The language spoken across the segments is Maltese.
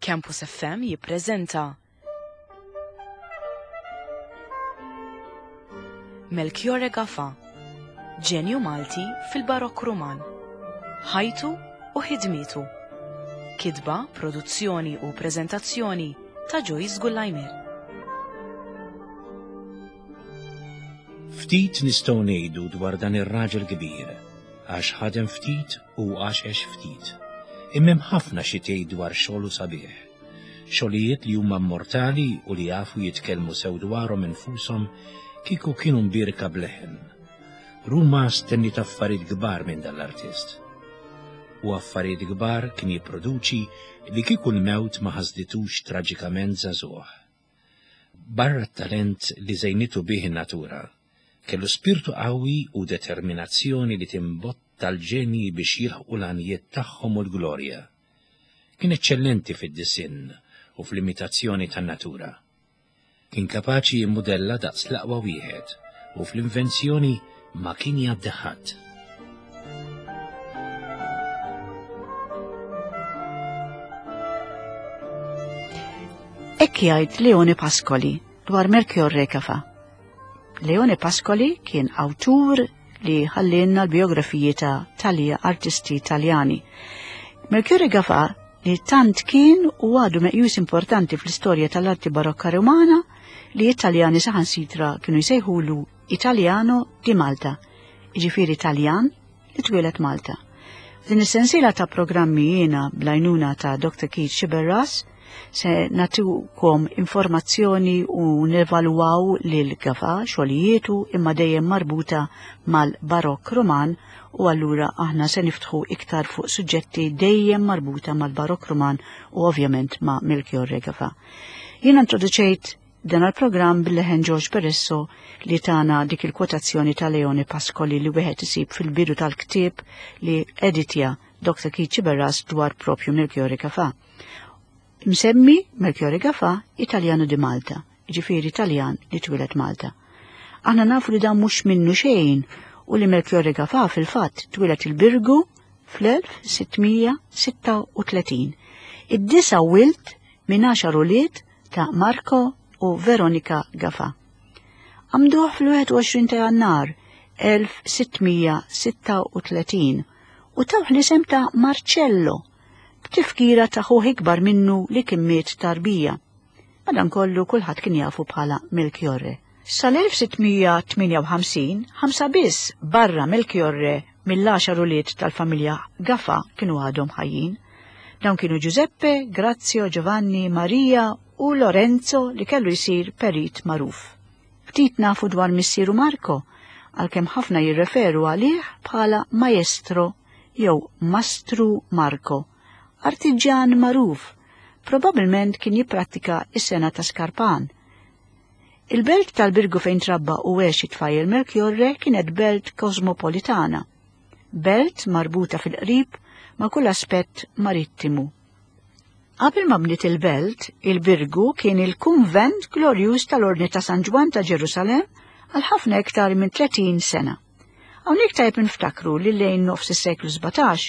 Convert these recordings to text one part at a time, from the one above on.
Campus FM jippreżenta Melchiorre Gafa, ġenju Malti fil-Barokk Ruman, ħajtu u ħidmietu. Kitba, produzzjoni u preżentazzjoni ta' Joyce Gullajmir. Ftit nistgħu ngħidu dwar dan ir-raġel kbir, għax ħadem ftit u għax għex ftit. Imma hemm ħafna xi tgħid dwar xogħlu sabiħ. Xogħlijiet li huma immortali u li jafu jitkellmu sew dwarhom infushom kieku kienu mbierka b'leħen. Ruma stenniet affarijiet kbar minn dan l-artist. U affarijiet kbar kien jipproduċi li kieku l-mewt ma ħasditux traġikament żagħżugħ. Barra t-talent li żejnitu bih in-natura, kellu spirtu qawwi u determinazzjoni li timbotta l-ġenji biex jilħqu l-għanijiet tagħhom u l-glorja. Kien eċċellenti fid-disinn u fl-imitazzjoni tan-natura. Kien kapaċi jimmudella daqs l-aqwa wieħed u fl-invenzjoni ma kien jgħaddi ħadd. Hekk jgħid Leone Pascoli dwar Melchior Recafa. Leone Pascoli kien awtur li ħallinna l-biografiji ta' talja artisti Taljani. Melchior Recafa li tant kien u għadu meqjus importanti fl-istorja tal-arti barokka Romana li Italjani saħansitra kienu jsejħulu Italiano di Malta, jiġifieri Taljan li twieled Malta. F'din is-sensiela ta' programmi jiena bl-għajnuna ta' Dr. Keith Sciberras se nagħtukom informazzjoni u nevalwaw lil Gafa xogħlijietu imma dejjem marbuta mal-Barokk Ruman u allura aħna se niftħu iktar fuq suġġetti dejjem marbuta mal-Barokk Ruman u ovvjament ma' Melchiorre Gafa. Jiena introduċejt Dan għall-programm bil-leħen George Peresso li tana dik il-kwotazzjoni ta' Leone Pascoli li wieħed isib fil-bidu tal-ktieb li editja Dr. Keith Sciberras dwar propju Melchiorre Gafà. Msemmi Melchiorre Gafà Italjanu di Malta, ġifieri Taljan li twieled Malta. Aħna nafu li dan mhux minnu xejn u li Melchiorre Gafà fil-fatt twieled il-Birgu fl-1636. Id-disa' wild minn għaxar ulied ta' Marco u Veronica Gafa. Għamduh fl-21 ta' Jannar 1636 u tawh l-isem ta' Marcello b'tifkira ta' ħuh ikbar minnu li kien miet tarbija. Madankollu kulħadd kien jafu bħala Melchiorre. Sal-1658, ħamsa biss barra Melchiorre mill-għaxar ulied tal-familja Gafa kienu għadhom ħajjin. Dawn kienu Giuseppe, Grazio, Giovanni, Maria u Lorenzo li kellu jsir perit magħruf. Ftit nafu dwar missieru Marco, għalkemm ħafna jirreferu għalih bħala Maestro jew Mastru Marco, artiġjan magħruf, probabbilment kien jipprattika s-sengħa ta' skarpan. Il-belt tal-Birgu fejn trabba u għex it-tfajjel Melchiorre kienet belt kosmopolitana. Belt marbuta fil-qrib ma' kull aspett marittimu. Qabel ma bniet il-belt, il-Birgu kien il-kunvent glorjuż tal-Ordni ta' San Ġwann ta' Ġerusalemm għal ħafna iktar minn 30 sena. Hawnhekk tajjeb niftakru li lejn nofs is-seklu 17,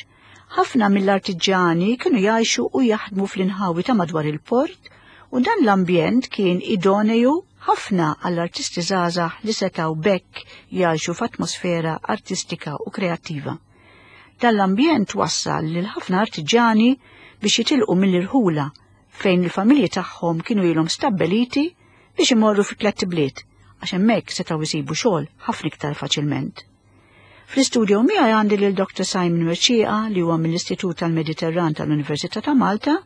ħafna mill-artiġjani kienu jgħixu u jaħdmu fl-inħawi ta' madwar il-port u dan l-ambjent kien idoneju ħafna għall-artisti żgħażagħ li setgħu b'hekk jgħixu f'atmosfera artistika u kreattiva. Dan l-ambjent wassal lil ħafna artiġjani biex jitilqu mill-irħula fejn il-familji tagħhom kienu ilhom stabbeliti biex imorru fi tlett ibliet għax hemmhekk setgħu jsibu xogħol ħafna iktar faċilment. Fl-istudio miegħi għandi lil Dr. Simon Mercieca li huwa mill-Istitut tal-Mediterran tal-Università ta' Malta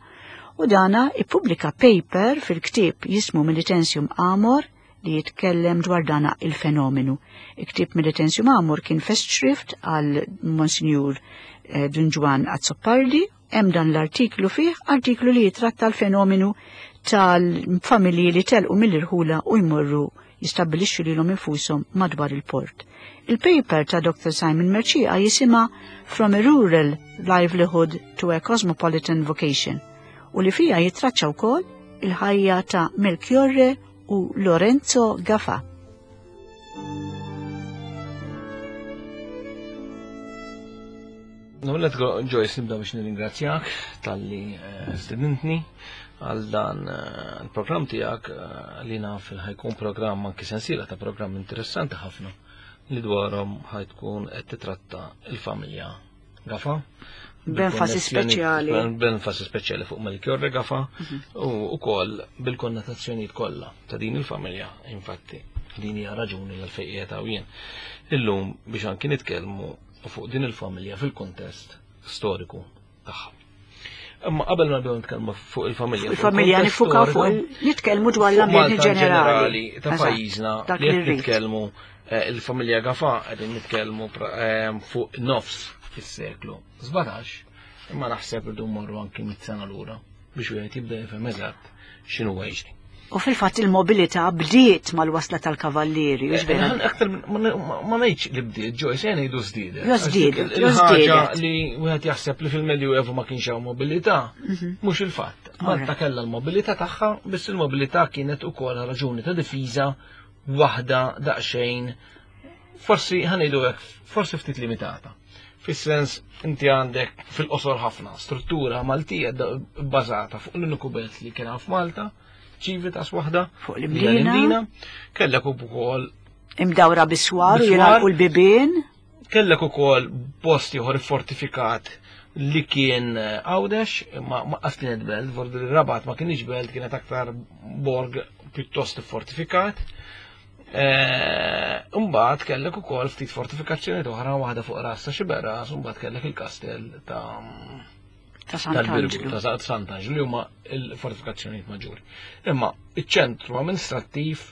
u dana ippubblika paper fil-ktieb jismu Militensium Amor li jitkellem dwar dana il-fenomenu. Il-ktieb Militensium Amor kien festschrift għal Monsignur eh, Dun Ġwann Azzopardi Hemm dan l-artiklu fih, artiklu li jitratta l-fenomenu tal-familji li telqu mill-irħula u jmorru jistabbilixxu lilhom infushom madwar il-port. Il-paper ta' Dr. Simon Mercieca jisimha From a Rural Livelihood to a Cosmopolitan Vocation u li fija jitraċċa wkoll il-ħajja ta' Melchiorre u Lorenzo Gafa. No, let's go, Joyce, nibda biex nirringrazzjak tal-li eh, stedintni għal dan eh, il-programm tiegħek eh, li naf li ħajkun programm anki sensiela ta' programm interessanti ħafna li dwarhom ħajtkun qed titratta il-familja Gafa. B'enfasi speċjali. B'enfasi speċjali fuq Melchiorre Gafa mhm. u wkoll bil-konnotazzjonijiet kollha ta' din il-familja, infatti din hija raġuni l fejn qiegħed jien. Illum biex anki nitkellmu fuq din il-familja fil-kontest storiku tagħha. Imma qabel ma nibdew nitkellmu fuq il-familja. Il-familja nifukaw fuq nitkellmu dwar l-ambjent ġenerali ta' pajjiżna li qed nitkellmu eh, il-familja Gafa qegħdin nitkellmu eh, fuq nofs fis-seklu 17, imma naħseb irdu mmorru anki mit sena lura biex wieħed jibda jifhem eżatt x'inhu jiġri. U fil-fatt il-mobilità bdiet mal-wasla tal-kavallieri, u eh, vera. Aktar ma ngħidx li bdiet, Joyce, jien ngħidu żdiedet. Jo żdiedet, jo żdiedet. li wieħed jaħseb li fil-Medjuevu ma kienx hawn mobilità, mhm. mhux il-fatt. Malta kellha l-mobilità tagħha, biss il-mobilità kienet ukoll raġuni ta' difiża waħda daqsxejn forsi ħanejdu hekk, forsi ftit limitata. Fis-sens inti għandek fil-qosor ħafna struttura Maltija bbażata fuq l-uniku belt li kien f'Malta, ċivitas waħda fuq l-Imdina. Kellek ukoll imdawra biswar u jingħalqu l-bibien. Kellek ukoll post ieħor fortifikat li kien eh, Għawdex, ma qas kienet belt, vordu li Rabat ma kienx belt, kienet aktar borg pjuttost fortifikat. Eh, mbagħad kellek ukoll ftit fortifikazzjoni oħra waħda fuq ras ta' Xiberras, u mbagħad kellek il-kastell ta' ta' Sant'Anġlu. Ta' Sant'Anġlu li huma l-fortifikazzjonijiet maġġuri. Imma iċ-ċentru amministrattiv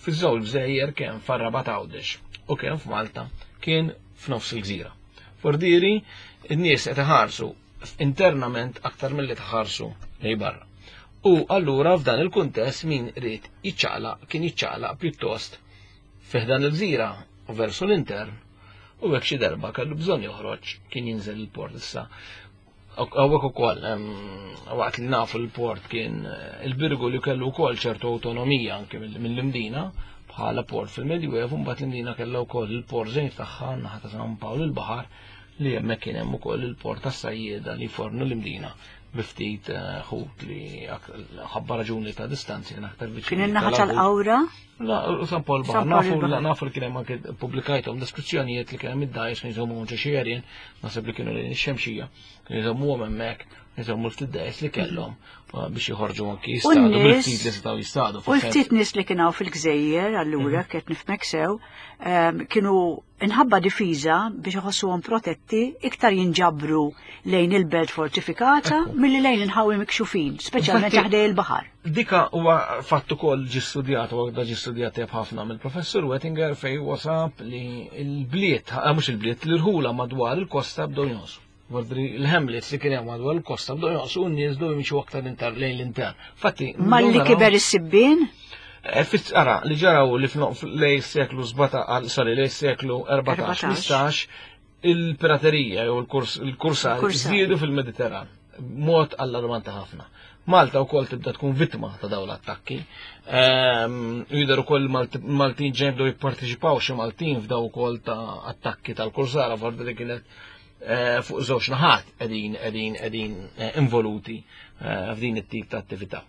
fiż-żewġ gżejjer kemm far-Rabat Għawdex u kemm f'Malta kien f'nofs il-gżira. Fordieri, in-nies qed iħarsu internament aktar milli tħarsu lej barra. U allura f'dan il-kuntest min ried jiċċaqlaq kien jiċċaqlaq pjuttost fi ħdan il-gżira u versu l-intern u hekk xi darba kellu bżonn joħroġ kien jinżel il-port issa. Hawnhekk ukoll waqt li nafu l-port kien eh, il-Birgu li kellu wkoll ċertu awtonomija anke mill-Imdina bħala port fil-Medjuevu mbagħad l-Imdina kellha wkoll il-port żejt tagħha naħa ta' San Pawl il-Baħar li hemmhekk kien hemm ukoll il-port tas-sajjieda li jfornu l-Imdina bi ftit eh, ħut li ħabba raġuni ta' distanzi kien aktar viċin. Kien in-naħa tal-Qawra? La, San Paul Baħar, nafu, nafu li kien hemm anke pubblikajthom deskrizzjonijiet li kien hemm id-dajs kien jżommu ġo xi għerien, naħseb li kienu lejn ix-xemxija, kien jżommuhom hemmhekk, jżommu ftit dajs li kellhom eh, biex joħorġu anki jistadu bil-ftit li setgħu jistadu. U l-ftit nies li kien hawn fil-gżejjer allura mhm. qed nifhmek sew, ehm, kienu inħabba difiża biex iħossuhom protetti iktar jinġabru lejn il-belt fortifikata milli lejn inħawi mikxufin, speċjalment ħdej il-baħar. Dika huwa fatt ukoll ġi studjat u għadha ġi studjat tajjeb ħafna mill-professur Wettinger fej wasab li l-bliet, eh, mhux il-bliet, l-irħula madwar il-kosta bdew jonqsu. Vordri l-hamlets li kien hemm madwar il-kosta bdew jonqsu u n-nies bdew jimxu aktar inter lejn l-intern. Fatti, Malli kiber is-sibbien? Eh, ara, li ġaraw li lej seklu 17, sorry, lej seklu 14-15, il-piraterija jew il-kursar żdiedu fil-Mediterran mod allarmanti ħafna. Malta wkoll tibda tkun vittma ta' dawn l-attakki. Ehm, jidher ukoll Maltin ġejn bdew jipparteċipaw xi Maltin f'daw ukoll ta' attakki tal-kursara forsi li kienet eh, fuq żewġ naħat qegħdin qegħdin qegħdin eh, involuti eh, f'din it-tip ta' attività.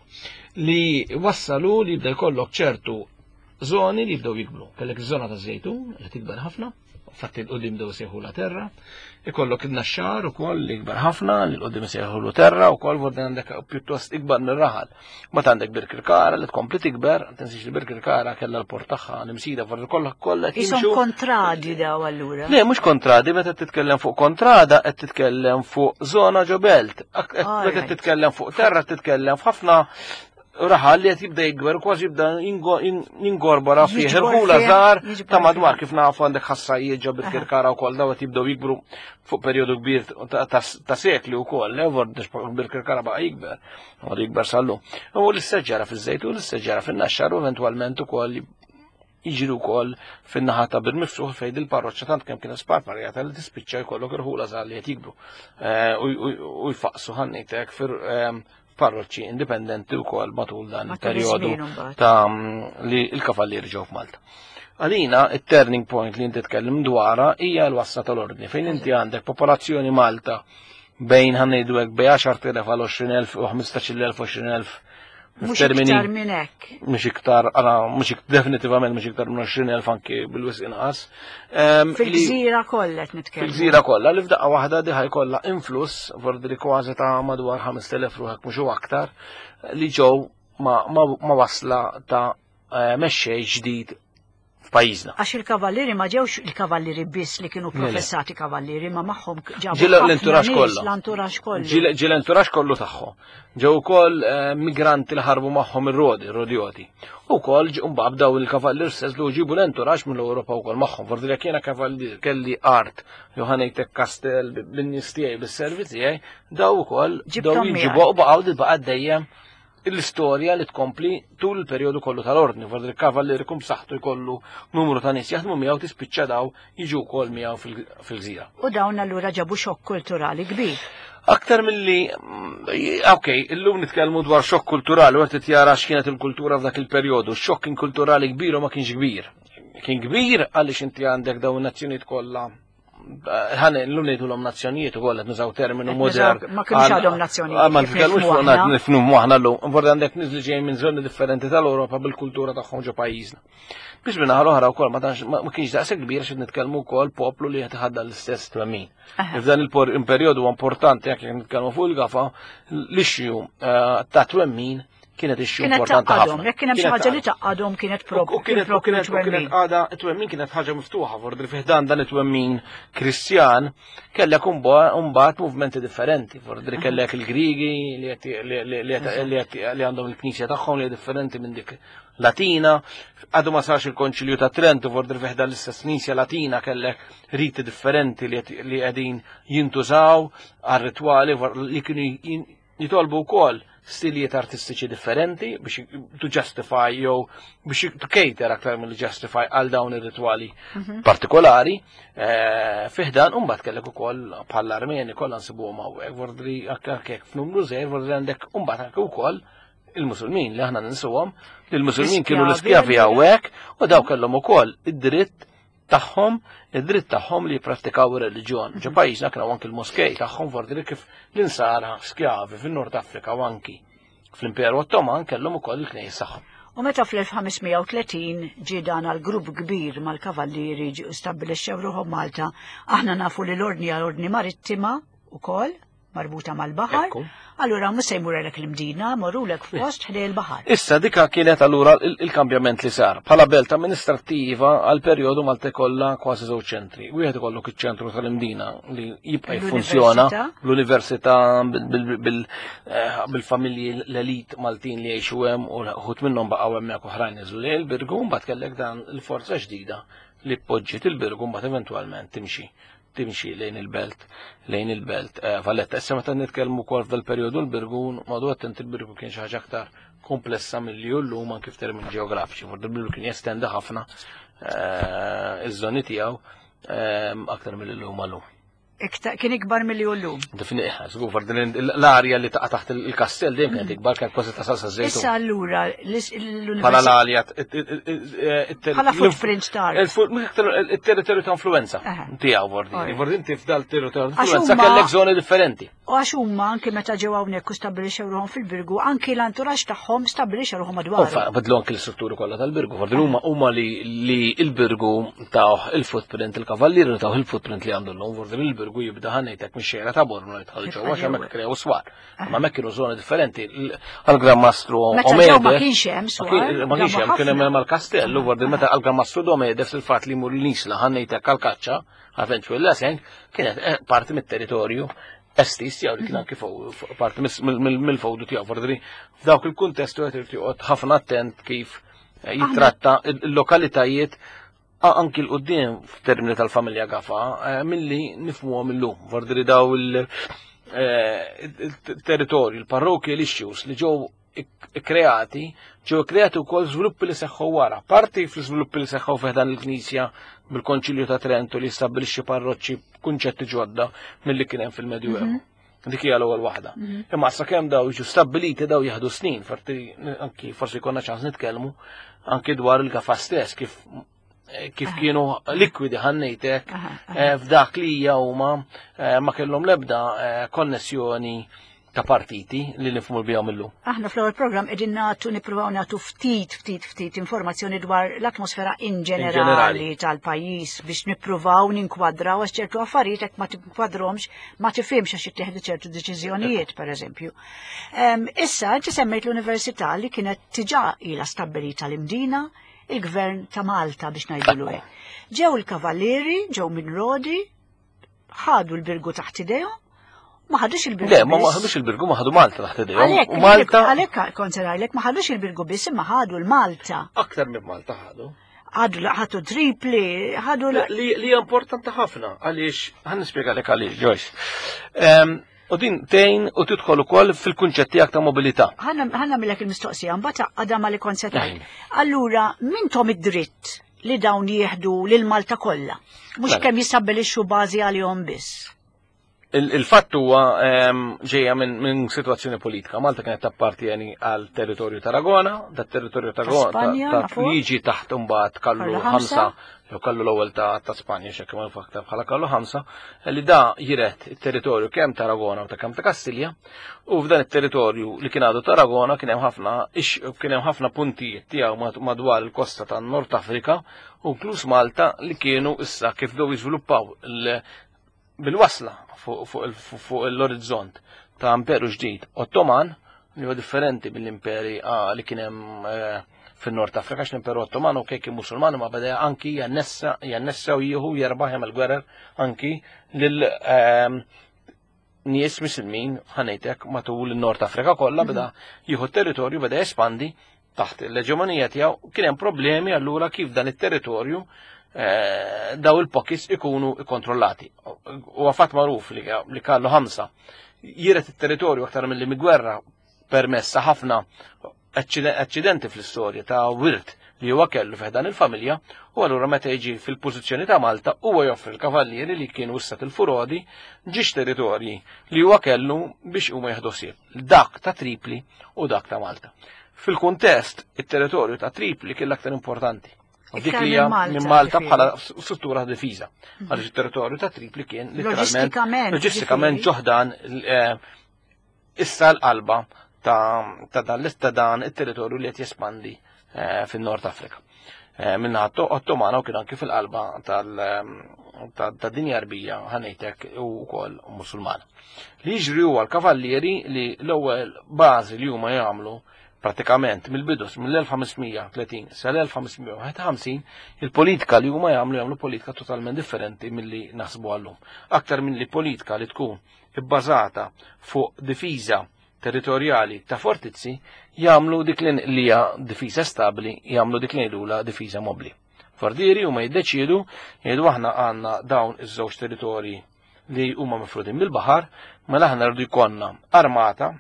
Li wassalu li jibda jkollok ċertu zoni li jibdew jikbru. Kellek iż-żona ta' żejtun li tikber ħafna, fatti l-qudiem bdew sejħu la terra, ikollok il-naxxar ukoll li ikbar ħafna, li l-qudiem sejħu lu terra ukoll vordi għandek pjuttost ikbar mir-raħal. Ma għandek Birkirkara li tkompli tikber, tinsiex li Birkirkara kellha l-port tagħha l-imsida forsi kollha kollha Isom kontradi daw allura. Le, mhux kontradi, meta titkellem fuq kontrada qed titkellem fuq żona ġo belt. Meta titkellem fuq terra titkellem f'ħafna raħal li qed jibda jikber kważi jibda jingorbora fih il-ħula żgħar ta' madwar kif nafu għandek ħassajiet ġo Birkirkara wkoll daw qed jibdew jikbru fuq perjodu kbir ta' sekli wkoll, Birkirkara baqa' jikber. Għadu jikber sallu. U l-istess ġara fiż-Żejtun, l-istess ġara fin-Naxxar u eventwalment ukoll jiġri wkoll fin-naħa ta' Bir Miftuħ fejn il-parroċċa tant kemm kienet sparparjata li tispiċċa jkollok irħula żgħar li qed jikbru eh, u jfaqsu ħannejtek ehm, parroċċi indipendenti wkoll matul dan il-perjodu ta' li l-kavallieri ġew f'Malta. Għalina, it-turning point li inti tkellim dwarha hija l-wasla tal-ordni, fejn inti għandek popolazzjoni Malta bejn ħanejdu hekk bejn 10,000 għal 20,000 u 15,000 20,000 Mhux iktar minn hekk. Mhux iktar, ara, mhux definitivament mhux iktar minn 20,000 anki bil-wisq inqas. Fil-gżira kollha qed nitkellmu. Fil-gżira kollha li f'daqqa waħda diħa jkollha influss vordi li kważi ta' madwar 5,000 ruħek mhux aktar li ġew ma wasla ta' eh, mexxej ġdid f'pajjiżna. Għax il-kavallieri ma ġewx il-kavallieri biss li kienu professati kavallieri, ma magħhom ġabu Ġie l-enturax kollu. L-enturax kollu. Ġie l-enturax kollu tagħhom. Ġew ukoll eh, migranti li ħarbu magħhom ir-rodi, rodjoti. U wkoll mbagħad bdew il-kavallier stess li ġibu l-enturax mill-Ewropa wkoll magħhom. Forsi jekk jiena kavallier kelli art jew ħanejtek kastell bin-nies tiegħi bis-servi tiegħi, daw ukoll daw jinġibu u baqgħu baqa' dejjem l-istorja li tkompli tul il-perjodu kollu tal-ordni, forsi il-kavallier ikun b'saħħtu jkollu numru ta' nies jaħdmu miegħu tispiċċa daw jiġu wkoll miegħu fil-gżira. U dawn allura ġabu xokk kulturali kbir. Aktar milli, ok, illum nitkellmu dwar xokk kulturali, u qed jara x'kienet il-kultura f'dak il-perjodu. Xokk kien kulturali kbir u ma kienx kbir. Kien kbir għaliex inti għandek dawn in-nazzjonijiet kollha ħan l-lum ngħidulhom nazzjonijiet ukoll qed nużaw terminu modern. Ma kienx għadhom nazzjonijiet. Ah, ma nitkellmux fuq nifhmu aħna llum. Vorda għandek nies li ġejjin minn żoni differenti tal-Ewropa bil-kultura tagħhom ġo pajjiżna. Biex minn naħa l-oħra wkoll ma tantx ma kienx daqshekk kbir x'qed nitkellmu wkoll poplu li qed iħaddan l-istess twemmin. F'dan il-perjodu importanti jekk nitkellmu fuq il-gafa l-issue eh, ta' twemmin kienet issue importanti ħafna. Jekk kien hemm xi ħaġa li taqgħadhom kienet propju. U kienet kienet kienet għada it-twemmin kienet ħaġa miftuħa fordri fih dan dan it-twemmin Kristjan kellek imbagħad movimenti differenti, fordri kellek il-Grigi li għandhom il-knisja tagħhom li differenti minn dik Latina, għadu ma sarx il-Konċilju ta' Trento, fordri fih dan l-istess knisja Latina kellek riti differenti li qegħdin jintużaw għar-ritwali li kienu Jitolbu wkoll stilijiet artistiċi differenti biex to justify jew biex to cater aktar mill justify għal dawn ir-ritwali mhm. partikolari. Eh, fiħdan u mbagħad kellek ukoll bħall armeni kollha nsibuhom hawnhekk, vordri hekk f'numru żgħir, vordri għandek u mbagħad anke wkoll il-Musulmin li aħna ninsuhom, li l-Musulmin kienu l-iskjavi hawnhekk u daw kellhom ukoll id-dritt tagħhom id-dritt tagħhom li jipprattikaw ir-reliġjon. Ġo pajjiżna kienu anki l-moskej tagħhom fordi kif l-insara skjavi fin-Nord Afrika u anki fl-Imperu Ottoman kellhom ukoll il-knejjes tagħhom. U meta fl-1530 ġie dan għal grupp kbir mal-kavallieri ġie stabbilixxew ruħhom Malta, aħna nafu li l-ordni għal ordni marittima ukoll marbuta mal-baħar, allura mhux se jmurlek l-Imdina, morrulek f'post ħdej il-baħar. Issa dika kienet allura il-kambjament li sar. Bħala belt amministrattiva għal perjodu Malta kollha kważi żewġ ċentri. Wieħed ikollok iċ-ċentru tal-Imdina li jibqa' jiffunzjona l-università eh, bil-familji l-elit Maltin li jgħixu hemm u ħut minnhom baqgħu hemmhekk oħrajn niżlu lejn il-Birgu, mbagħad kellek dan il-forza ġdida li poġġiet il-Birgu mbagħad eventwalment timxi timxi lejn il-belt, lejn il-belt eh, Valletta. Issa meta nitkellmu wkoll f'dal-perjodu l-Birgu, madu attent il-Birgu kien xi ħaġa aktar komplessa milli hu llum anke f'termini ġeografiċi. Forsi il-Birgu kien jestendi ħafna eh, iż-żoni tiegħu eh, aktar milli llum għallum. Kien ikbar milli hu llum. Definitely, żgur, l-arja li taqa' taħt il-kastell dejjem kienet ikbar kienet kważi tasal sa żejtun. Issa allura l-università. Bħala l-arja Bħala footprint tar. Il-territorju ta' influenza tiegħu vordi. Vordi inti f'dal territorju ta' influenza kellek żoni differenti. U għax huma anki meta ġew hawnhekk u stabbilixxew ruħhom fil-Birgu, anki l-anturaġġ tagħhom stabbilixxew ruħhom madwar. Bidlu anki l-istrutturi kollha tal-Birgu, vordi huma huma li l-Birgu tawh il-footprint il-kavallieri tawh il-footprint li għandu llum, vordi l-Birgu jibda ħanejtek mix-xejra ta' Bormla jidħol ġewwa għax hemmhekk krew swar. Ma mek kienu zoni differenti. Għal-Gran Mastru Omede. Ma kienx hemm swar. Ma kienx hemm, kien hemm mal-kastellu, vordi meta għal-Gran Mastru Domede fil-fatt li mur l-isla ħannejtek għal-kaċċa, għal Lesen, kienet eh, parti mit-territorju estis jew li kien anki parti mill-fowdu tiegħu vordi f'dawk il-kuntestu qed irid joqgħod ħafna attent kif eh, jitratta il-lokalitajiet anki l-qoddim f'termini tal-familja Gafa eh, milli nifmuhom illum. Vordri daw il-territorju, eh, il-parrokki l-issues li ġew kreati, ġew kreati wkoll żviluppi li seħħu wara. Parti fl-żviluppi li seħħu f'dan il-Knisja bil-Konċilju ta' Trento li stabbilixxi parroċċi kunċetti ġodda milli kien hemm fil-Medjuevu. Mhm. Dik hija l-ewwel waħda. Imma sakemm daw jiġu stabbiliti daw jieħdu snin, forti anki forsi jkollna ċans nitkellmu anki dwar il-gafa stess kif eh, kif kienu likwidi ħannejtek eh, f'dak li hija huma eh, ma kellhom l-ebda konnessjoni ta' partiti li nifhmu bihom illum. Aħna fl-ewwel programm qegħdin nagħtu nippruvaw nagħtu ftit ftit ftit informazzjoni dwar l-atmosfera in ġenerali tal-pajjiż biex nippruvaw ninkwadraw għax ċertu affarijiet hekk ma tinkwadrhomx ma tifhimx għax jittieħdu ċertu deċiżjonijiet pereżempju. Issa inti semmejt l-università li kienet diġà ilha stabbilita l-Imdina, il-gvern ta' Malta biex ngħidulu hekk. Ġew il-kavallieri, ġew minn Rodi, ħadu l-birgu taħt idejhom, ma ħadux il-birgu. Le, ma ħadux il-birgu, ma ħadu Malta taħt idejhom. Malta. Għalhekk kont se ngħidlek ma ħadux il-birgu biss imma ħadu l-Malta. Aktar minn Malta ħadu. Ħadu ħadu tripli, ħadu Li hija importanti ħafna għaliex ħan nispjegalek għaliex, Joyce. U din tgħin u tidħol ukoll fil-kunċett tiegħek ta' mobilità. Ħanna nagħmilek il-mistoqsija, mbagħad għadha ma li kont se tgħid. Allura, mintom id-dritt li dawn jieħdu lil Malta kollha, mhux mela. kemm jistabbilixxu bażi għalihom biss. Il-fatt huwa ehm, ġejja minn situazzjoni politika. Malta kienet tappartieni għal territorju Taragona, dat territorju Taragona li jiġi taħt imbagħad kallu ħamsa jew kallu l-ewwel ta' Spanja x'hekk ma aktar bħala kallu ħamsa, li da jiret it-territorju kemm Taragona u ta' kemm ta' Kastilja, u f'dan it-territorju li kien għadu Taragona kien hemm ħafna kien hemm ħafna puntijiet tiegħu madwar il-kosta tan-Nord Afrika u inkluż Malta li kienu issa kif bdew jiżviluppaw bil-wasla fuq l-orizzont ta' imperu ġdid Ottoman li huwa differenti mill-imperi ah, li kien hemm eh, fin-Nord Afrika għax l-Imperu Ottoman u kien Musulman ma beda anki jannessa jannessa u jieħu jerbaħ jagħmel gwerer anki lil ehm, nies misilmin ħanejtek matul in-Nord Afrika kollha beda jieħu territorju beda jespandi taħt l-eġemonija tiegħu kien hemm problemi allura kif dan it-territorju eh, daw il-pockets ikunu kontrollati. U għafat magħruf li kallu ħamsa jiret it-territorju aktar mill-li migwerra permessa ħafna aċċidenti fl-istorja ta' wirt li huwa kellu f'dan il-familja u allura meta jiġi fil-pożizzjoni ta' Malta huwa joffri l-kavallieri li kienu issa il-furodi ġiex territorji li huwa kellu biex huma jieħdu ħsieb dak ta' Tripli u dak ta' Malta. Fil-kuntest, it-territorju ta' Tripli kien l-aktar importanti. U dik li hija minn Malta bħala struttura ta' difiża. Mhm. Għaliex it-territorju ta' Tripli kien letteralment loġistikament ġoħdan eh, issa l-qalba ta' dan l dan it-territorju li qed jespandi eh, fin-Nord Afrika. Eh, minna Ottomana u kien anki fil-qalba tal-dinja arbija ħanejtek u wkoll Musulmana. Li jiġri huwa l-kavallieri li l-ewwel bażi li huma jagħmlu pratikament mill-bidu mill-1530 sal-1551 il-politika li huma jagħmlu jagħmlu politika totalment differenti milli naħsbu għallum. Aktar milli politika li tkun ibbażata fuq difiża territorjali ta' fortizzi jagħmlu dik li hija difiża stabbli, jagħmlu dik li ngħidulha difiża mobbli. Fordieri huma jiddeċiedu jgħidu aħna għandna dawn iż-żewġ territorji li huma mifrudin bil-baħar, mela aħna rridu jkollna armata,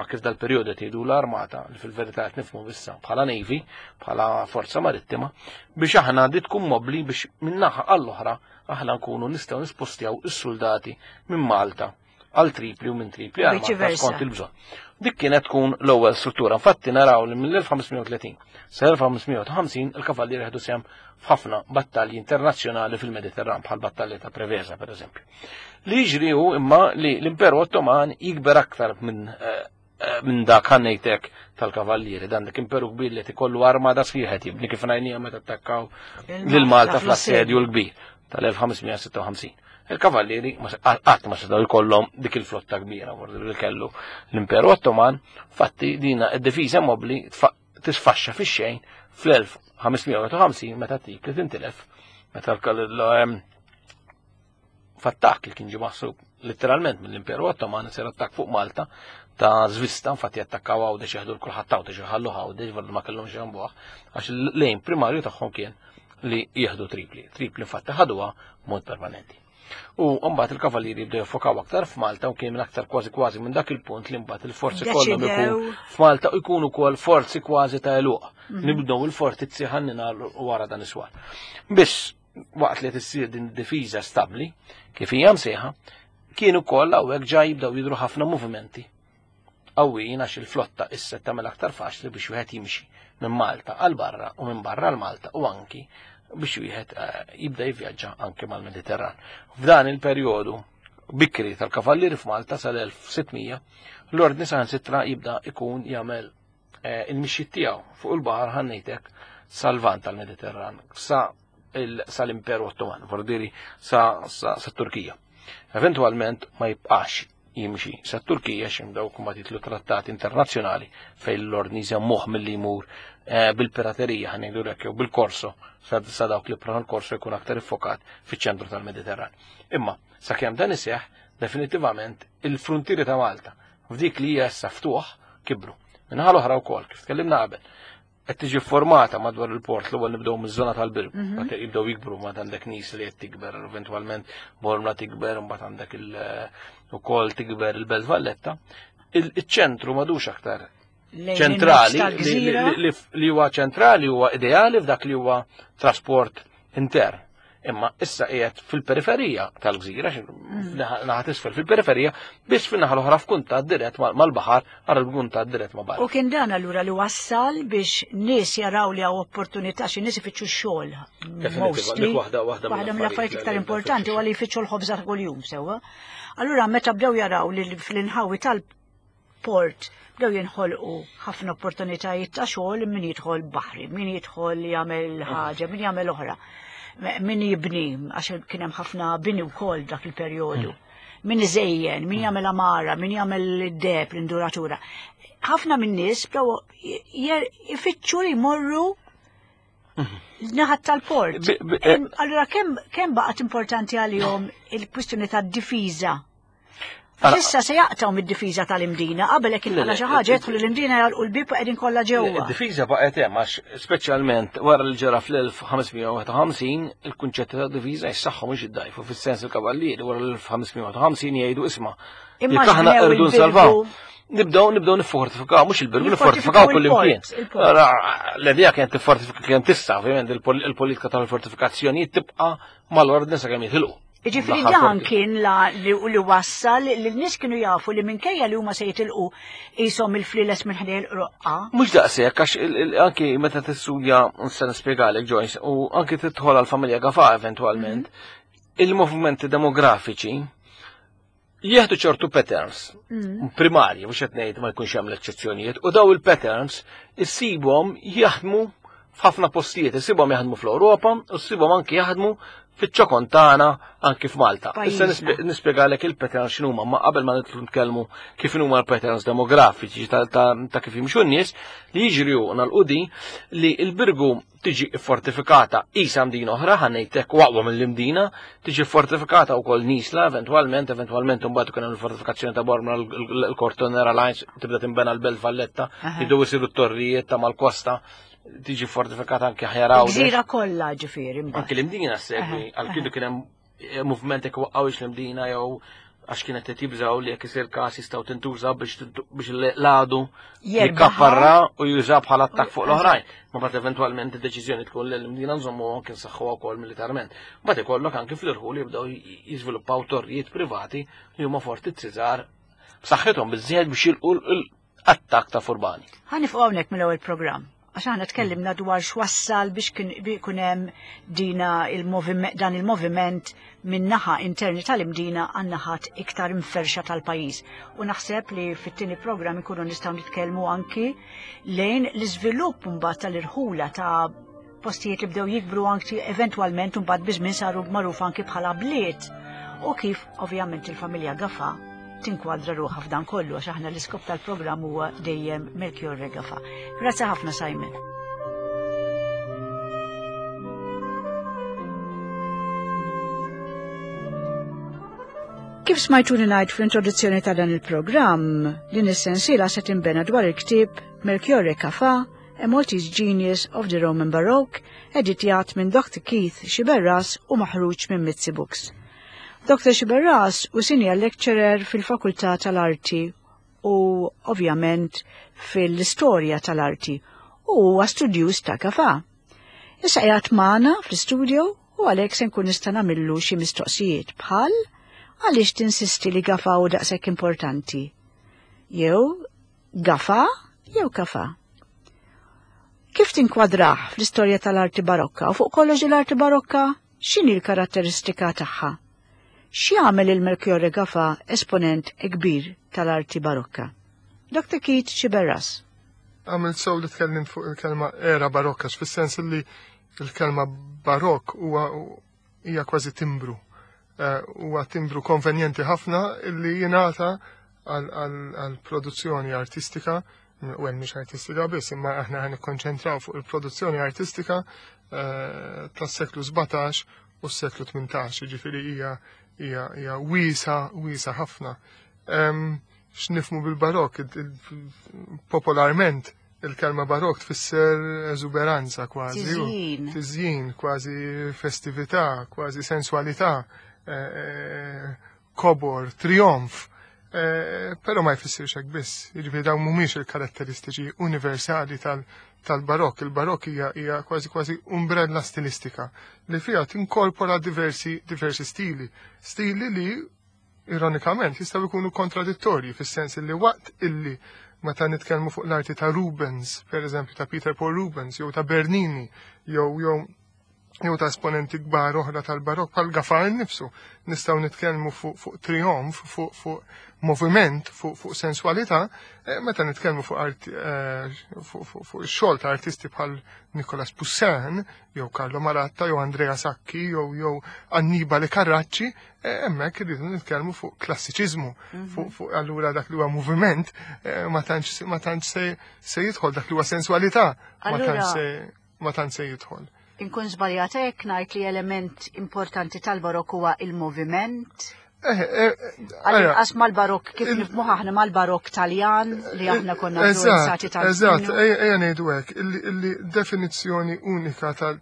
kif dal-perjodu qed jgħidu l-armata li fil-verità qed nifhmu issa bħala navy, bħala forza marittima, biex aħna di tkun mobbli biex min-naħa għall-oħra aħna nkunu nistgħu nispostjaw is-soldati minn Malta għal Tripli u minn Tripli għal Malta skont il-bżonn. Dik kienet tkun l-ewwel struttura. Infatti naraw li mill-1530 sa 1550 il-kavallieri ħedu sehem f'ħafna battalji internazzjonali fil-Mediterran bħal battalja ta' Preveza pereżempju. Li jiġri hu imma li l-Imperu Ottoman jikber aktar minn eh, eh, minn dak ħannejtek tal-kavallieri, dan dak imperu kbir li ikollu armada sħiħa jibni kif ngħinija meta attakkaw lil Malta fl-assedju l-kbir tal-1556. Il-kavallieri qatt ma setgħu jkollhom dik il-flotta kbira li kellu l-Imperu Ottoman, fatti dina id-difiża mobbli tisfaxxa fix-xejn fl-1551 meta tik li tintilef meta f'attakk li kien ġie maħsub letteralment mill-Imperu Ottoman isir attakk fuq Malta ta' żvista, infatti attakkaw Għawdex jaħdu l-kulħadd Għawdex iħallu Għawdex vardu ma kellhomx jambuh għax l-lejn primarju tagħhom kien li jieħdu Tripli. Tripli infatti ħaduha mod permanenti. U mbagħad il-kavallieri bdew jiffokaw aktar f'Malta u kien minn aktar kważi kważi minn dak il-punt li mbagħad il-forzi kollha ikun f'Malta u jkunu wkoll forzi kważi ta' eluq. Mhm. Nibdew il-fortizzi ħannina wara dan is-swar. Biss waqt li tissir din difiża stabbli, kif hija msejħa, Kien ukoll hawnhekk ġa jibdew jidhru ħafna movimenti qawwijin għax il-flotta issa tagħmel aktar faċli biex wieħed jimxi minn Malta għal barra u minn barra għal Malta u anki biex wieħed eh, jibda jivvjaġġa anki mal-Mediterran. F'dan il-perjodu bikri tal-kavallieri f'Malta sal-1600, l-ordni saħansitra jibda ikun jagħmel eh, il-mixjiet tiegħu fuq il-baħar ħannejtek sal-vant tal-Mediterran, sa sal-Imperu Ottoman, vordiri sa, sa, sa Turkija. Eventualment ma jibqax jimxi sa Turkija x'imdaw kumma titlu trattati internazzjonali fejn l-ordni jżammuh milli jmur eh, bil-piraterija ħanejdu hekk jew bil-korso sa dawk li pran l-korso jkun aktar iffokat fiċ-ċentru tal-Mediterran. Imma sakemm dan iseħħ definitivament il-fruntieri ta' Malta f'dik li hija issa ftuħ kibru. Minħa l-oħra wkoll kif tkellimna qabel, qed tiġi formata madwar il-port l-ewwel nibdew miż-żona tal-birgu, mhm. meta jibdew jikbru ma għandek nies li qed tikber, eventwalment Bormla tikber, mbagħad għandek il ukoll tikber il-Belt Valletta. Il-ċentru madux aktar ċentrali li huwa ċentrali huwa ideali f'dak li huwa trasport intern. Imma issa qiegħed fil-periferija tal-gżira, mm. naħa tisfel fil-periferija, biss fin-naħa l-oħra f'kuntatt dirett mal-baħar, għal kuntatt dirett ma' barra. U kien dan allura li wassal biex nies jaraw li hawn opportunità xi nies ifittxu x-xogħol. Waħda waħda mill-affarijiet iktar importanti huwa li jfittxu l-ħobża ta' kuljum sewwa. Allura meta bdew jaraw li fl-inħawi tal port bdew jinħolqu ħafna opportunitajiet ta' xogħol min jidħol baħri, min jidħol jagħmel ħaġa, min jagħmel oħra, min jibni għax kien hemm ħafna bini wkoll dak il-perjodu. Mm. Min iżejjen, min mm. jagħmel amara, min jagħmel id-deb, l-induratura. Ħafna minn nies bdew ifittxu li jmorru mm. naħat tal-port. Eh, allura kemm baqgħet importanti għalihom il-kwistjoni tad-difiża Issa se jaqtaw mid-difiża tal-Imdina, qabel hekk inqala xi ħaġa jidħlu l-Imdina jagħlqu l-bieb u qegħdin kollha ġewwa. Id-difiża baqgħet hemm għax speċjalment wara li ġara fl-1551 il-kunċetti ta' difiża jissaħħu mhux iddajfu fis-sens il-kavallieri wara l-1551 jgħidu isma' jekk aħna rridu nsalvaw. Nibdew nibdew niffortifikaw, mhux il-birgu niffortifikaw kull imkien. L-idea kienet tiffortifika kien tista' ovvjament il-politika tal-fortifikazzjonijiet tibqa' mal-ordni sakemm jitilqu. Ġifri dan kien la li, li wassal li l-nies kienu jafu li minkejja li huma se jitilqu qishom il-fliles minn ħdej il-qroqqa. Mhux daqshekk għax anki meta tistudja se nispjegalek Joyce u anki tidħol għall-familja Gafa eventwalment, mhm. il-movimenti demografiċi jieħdu ċertu patterns mm. primarji, mhux qed ngħid ma jkunx hemm l-eċċezzjonijiet, u daw il-patterns issibhom jaħdmu f'ħafna postijiet, issibhom jaħdmu fl-Ewropa u ssibhom anki jaħdmu fiċ-ċokon tagħna anki f'Malta. Issa nispjegalek il-patterns x'inhuma, ma qabel ma nidħlu nitkellmu kif huma l-patterns demografiċi ta' kif jimxu n-nies li jiġri hu nagħlqu li l-Birgu tiġi fortifikata isa mdina oħra, ħanejtek waqwa mill-imdina, tiġi fortifikata wkoll Nisla eventwalment, eventwalment imbagħad ikun hemm il-fortifikazzjoni ta' Bormla l-Kortonera Lines tibda tinbena l-Belt Valletta, jibdew isiru t-torrijiet ta' mal-kosta, tiġi fortifikata anke ħjar Għawdex. Gżira kollha ġifieri mbagħad. Anke l-imdina segwi, għal kienu kien hemm eh, movement jekk waqqawx l-imdina jew għax kienet qed jibżgħu li jekk isir każ jistgħu tintuża biex biex l-għadu jikkaparra u juża bħala attakk fuq l-oħrajn. Ma bat eventwalment id-deċiżjoni tkun li l-imdina nżommu anke nsaħħuha wkoll militarment. Mbagħad ikollok anke fl-irħul jibdew jiżviluppaw torrijiet privati li huma fortizzi żgħar b'saħħithom biżżejjed biex jilqu attakk ta' furbani. Ħa nifqu hawnhekk mill-ewwel programm għax aħna tkellimna dwar x'wassal biex kien ikun hemm dina il-moviment dan il-moviment minn naħa interni tal-Imdina għan naħat iktar imferxa tal-pajjiż. U naħseb li fit-tieni programm ikunu nistgħu nitkellmu anki lejn l-iżvilupp mbagħad tal-irħula ta' postijiet li bdew jikbru anki eventwalment mbagħad biż-żmien saru magħruf anki bħala bliet u kif ovvjament il-familja Gafa tinkwadra ruħha f'dan kollu għax aħna l-iskop tal-programm huwa dejjem Melchiorre Gafa. Grazzi ħafna Simon. Kif smajtuni ngħid fl-introduzzjoni ta' dan il-programm, din is-sensiela se tinbena dwar il-ktieb Melchiorre Gafa A Maltese Genius of the Roman Baroque, editjat minn Dr. Keith Sciberras u maħruġ minn Mizzi Books. Dr. Sciberras u senior lecturer fil-Fakultà tal-Arti u ovvjament fil-istorja tal-arti u huwa studjuż ta' Gafà. Issa qiegħed magħna fl-istudio u għalhekk se nkun nista' nagħmillu xi mistoqsijiet bħal. Għaliex tinsisti li Gafa hu daqshekk importanti? Jew Gafa jew Kafa? Kif tinkwadrah fl-istorja tal-arti barokka u fuq kollox l-arti barokka x'inhi l-karatteristika tagħha? X'jagħmel il-Melchiorre Gafa esponent kbir tal-arti barokka? Dr. Keith Sciberras. Għamilt sew li tkellimt fuq il-kelma era barokka, fis-sens li il-kelma barokk huwa hija kważi timbru. Eh, huwa timbru konvenjenti ħafna li jingħata għal produzzjoni artistika, u hemm mhix artistika biss, imma aħna ħan nikkonċentraw fuq il-produzzjoni artistika eh, tas-seklu 17 u s-seklu 18, ġifieri hija hija wiesa wiesa ħafna. X'nifmu bil-barokk, popolarment il-kelma barok tfisser eżuberanza kważi. Tiżjin. Tiżjin, kważi festività, kważi sensualità, eh, eh, kobor, trionf. Eh, però ma jfissirx hekk biss. Jiġifieri dawn mhumiex il-karatteristiċi universali tal-barok. Il-barok hija kważi kważi umbrella stilistika li fiha tinkorpora diversi diversi stili. Stili li ironikament jistgħu jkunu kontradittorji fis-sens li waqt illi meta nitkellmu fuq l-arti ta' Rubens, per eżempju ta' Peter Paul Rubens, jew ta' Bernini, jew jew jew ta' esponenti kbar oħra tal-barok bħal Gafar nifsu, nistgħu nitkellmu fuq fu trionf, fuq fu moviment, fuq fu sensualità, eh, meta nitkellmu fuq arti eh, fuq fu, fu xogħol ta' artisti bħal Nicolas Poussin, jew Carlo Maratta, jew Andrea Sacchi, jew jew Annibale Carracci, Eh, hemmhekk irridu nitkellmu fuq klassiċiżmu, mhm. fuq fuq allura dak li huwa moviment eh, ma tantx ma tantx se jidħol dak li huwa sensualità ma tantx se ma tantx se jidħol. Inkun żbaljata jekk ngħid li element importanti tal-barok huwa il-moviment. Eh, Għal-inqas mal-barok kif nifhmu aħna mal-barok Taljan li aħna konna influenzati tal Eżatt, ejja ngħidu hekk, illi definizzjoni unika tal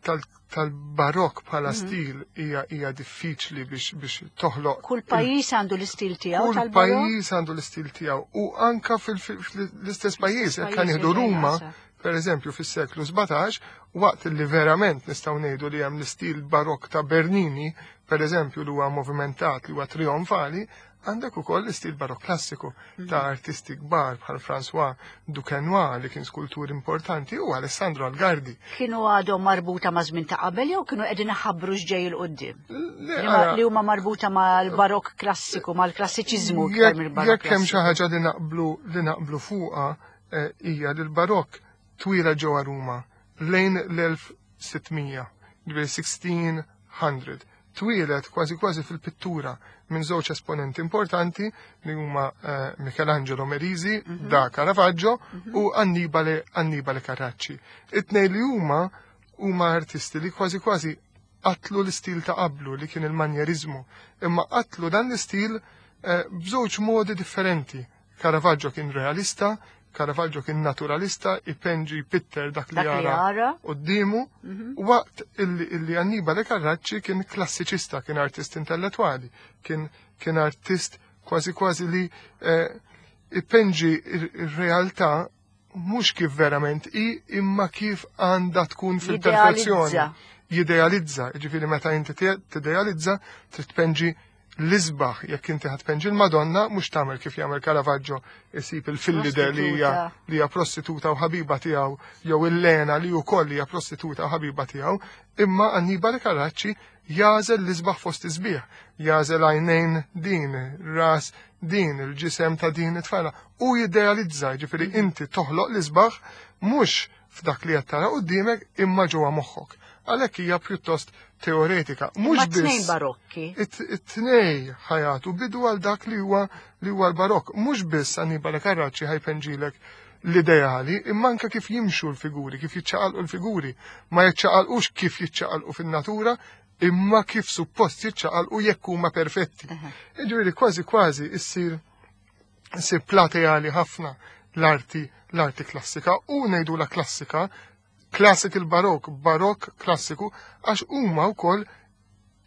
tal-barokk bħala mhm. stil hija hija diffiċli biex biex toħloq. Kull pajjiż għandu l-istil tiegħu tal-barokk. Kull pajjiż għandu l-istil tiegħu u anka fl-istess pajjiż jekk nieħdu Ruma, per eżempju fis-seklu 17, waqt li verament nistgħu ngħidu li hemm l-istil barokk ta' Bernini, per eżempju li huwa movimentat li huwa trionfali, Għandek ukoll l-istil barokk klassiku mhm. ta' artisti kbar bħal François Duquesnoy li kien skultur importanti u Alessandro Algardi. Kienu għadhom marbuta ma' żmien ta' qabel jew kienu qegħdin iħabbru x'ġej il qudiem Li huma marbuta mal-barokk klassiku, mal-klassiċiżmu iktar mill-barokk. Jekk hemm xi ħaġa li naqblu li naqblu fuqha eh, hija li l-barokk twila ġewwa Ruma lejn l-1600, 1600. Twieled kważi kważi fil-pittura minn żewġ esponenti importanti li huma eh, Michelangelo Merisi mhm. da Caravaggio mhm. u Annibale Annibale Carracci. It-tnejn li huma huma artisti li kważi kważi qatlu l-istil ta' qablu li kien il-manjerizmu, imma qatlu dan l-istil eh, b'żewġ modi differenti. Caravaggio kien realista, Caravaggio kien naturalista, ipenġi jpitter dak li jara quddiemu, mhm. waqt illi Annibale Carracci kien klassiċista, kien artist intellettwali, kien kien artist kważi kważi li eh, ipenġi ir-realtà mhux kif verament hi imma kif għandha tkun fil-perfezzjoni. Jidealizza, ġifieri meta inti tidealizza trid tpenġi l-isbaħ jekk inti ħad tpenġi l-Madonna mhux tagħmel kif jagħmel Caravaggio isib il-fillide li hija li hija prostituta u ħabiba tiegħu jew il-Lena li wkoll hija prostituta u ħabiba tiegħu, imma Annibale Carracci jagħżel l-isbaħ fost isbieħ, jagħżel għajnejn din, ras din, il-ġisem ta' din it-tfajla u jidealizza, ġifieri mhm. inti toħloq l-isbaħ mhux f'dak li qed tara quddiemek imma ġewwa moħħok. Għalhekk hija pjuttost teoretika. Mhux biss. Tnejn barokki. It-tnej ħajatu bidu għal dak li huwa li huwa l-barokk. Mhux biss Annibale Carracci ħajpenġilek l-ideali, imma anke kif jimxu l-figuri, kif jiċċaqalqu l-figuri. Ma jiċċaqalqux kif jiċċaqalqu fin-natura, imma kif suppost jiċċaqalqu jekk huma perfetti. Jiġifieri kważi kważi issir issir plateali ħafna l-arti l-arti klassika u ngħidu la klassika classical barok, barok klassiku, għax huma wkoll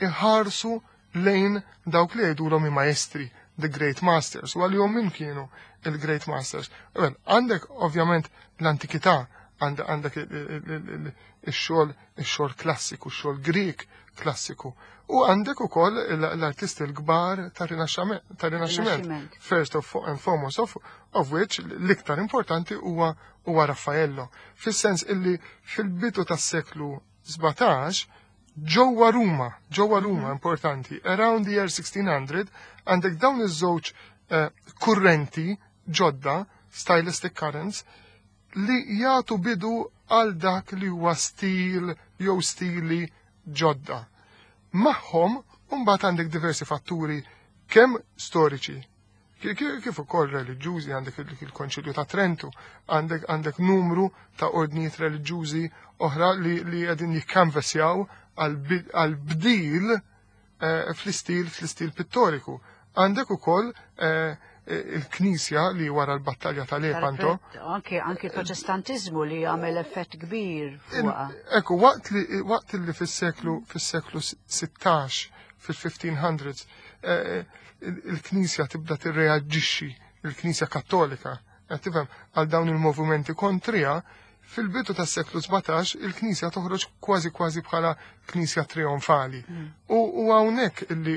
iħarsu lejn dawk li jgħidulhom i maestri, the great masters, u għalihom min kienu il-great masters. Well, għandek ovvjament l-antikità, Għandek ix-xogħol ix-xogħol klassiku, ix-xogħol Grieg klassiku. U għandek ukoll l-artisti l-kbar tar-Rinaxximent. First of and foremost of which l-iktar importanti huwa huwa Raffaello. Fis-sens illi fil-bidu tas-seklu 17 ġewwa Ruma, ġewwa Ruma importanti, around the year 1600 għandek dawn iż-żewġ kurrenti ġodda, stylistic currents, li jagħtu bidu għal dak li huwa stil jew stili ġodda. Magħhom mbagħad għandek diversi fatturi kemm storiċi, kif ukoll reliġjużi, għandek il-Konċilju ta' Trentu, għandek numru ta' ordnijiet reliġjużi oħra li qegħdin jikkanvesjaw għal bdil fl-istil pittoriku. Għandek ukoll il-Knisja li wara l-battalja ta' Lepanto. Anke protestantiżmu li għamel effett kbir fuqha. Ekku, waqt li fis-seklu 16, fil-1500s, il-Knisja tibda tirreaġixxi, il-Knisja Kattolika, qed tifhem, għal dawn il-movimenti kontrija, fil-bidu tas-seklu 17 il-Knisja toħroġ kważi kważi bħala Knisja trionfali. U hawnhekk illi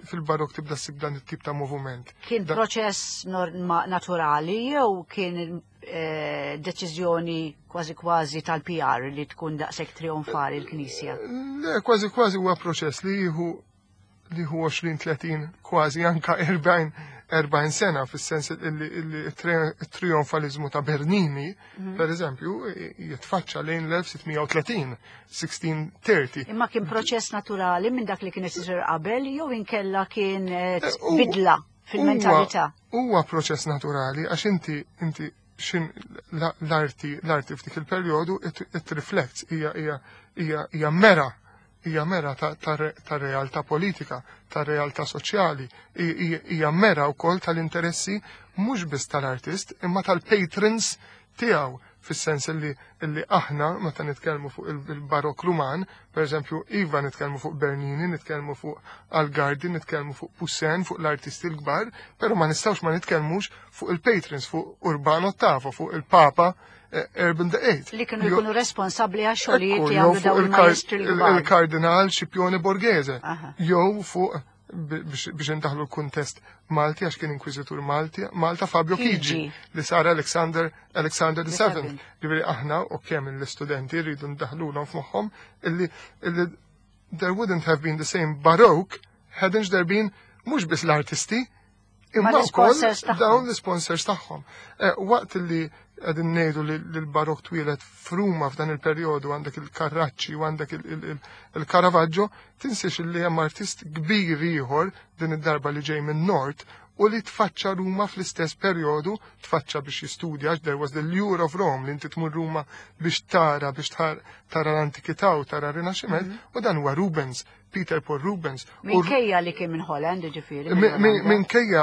fil-Barok tibda ssib dan it-tip ta' moviment. Kien proċess naturali jew kien deċiżjoni kważi kważi tal-PR li tkun daqshekk trionfali l-Knisja? Le, kważi kważi huwa proċess li jieħu li hu 20, 30, kważi anka 40 sena, fis-sens illi trionfalizmu ta' Bernini, per eżempju, jitfaċċa lejn l-1630, 1630. Imma kien proċess naturali minn dak li kien isir qabel jew inkella kien bidla fil-mentalità? Huwa proċess naturali għax inti xin l-arti f'dik il-perjodu it reflects, hija mera hija mera ta' realtà politika, ta' realtà soċjali, hija mera wkoll tal-interessi mhux biss tal-artist imma tal-patrons tiegħu, fis-sens illi aħna meta nitkellmu fuq il-Barok Ruman, per eżempju, iva nitkellmu fuq Bernini, nitkellmu fuq Algardi, nitkellmu fuq Poussin, fuq l-artisti l-kbar, però ma nistgħux ma nitkellmux fuq il-patrons, fuq Urbano Ottavo, fuq il-Papa Urban the Eighth. Li kienu jkunu responsabbli għax xogħlijiet li għamlu dawn il-maestri l-kbar. Il-Kardinal Scipione Borghese. Jew fuq biex indaħlu l-kuntest Malti għax kien inkwiżitur Malti, Malta Fabio Chigi, li sar Alexander the Seventh. Ġifieri aħna u kemm l-istudenti rridu ndaħlulhom f'moħħhom illi there wouldn't have been the same Baroque hadn't there been mhux biss l-artisti imma wkoll dawn l-sponsors tagħhom. Waqt li qegħdin ngħidu li l-Barok twieled f'Ruma f'dan il-perjodu għandek il-Carracci u għandek il-Caravaggio, tinsiex li hemm artist kbir ieħor din id-darba li ġej minn Nord u li tfaċċa Ruma fl-istess perjodu, tfaċċa biex jistudja, there was the lure of Rome, li inti tmur Ruma biex tara, biex tara l-antikità u tara r-Rinaxximent, u dan huwa Rubens, Peter Paul Rubens. Minkejja li kien minn Holland, ġifieri. Minkejja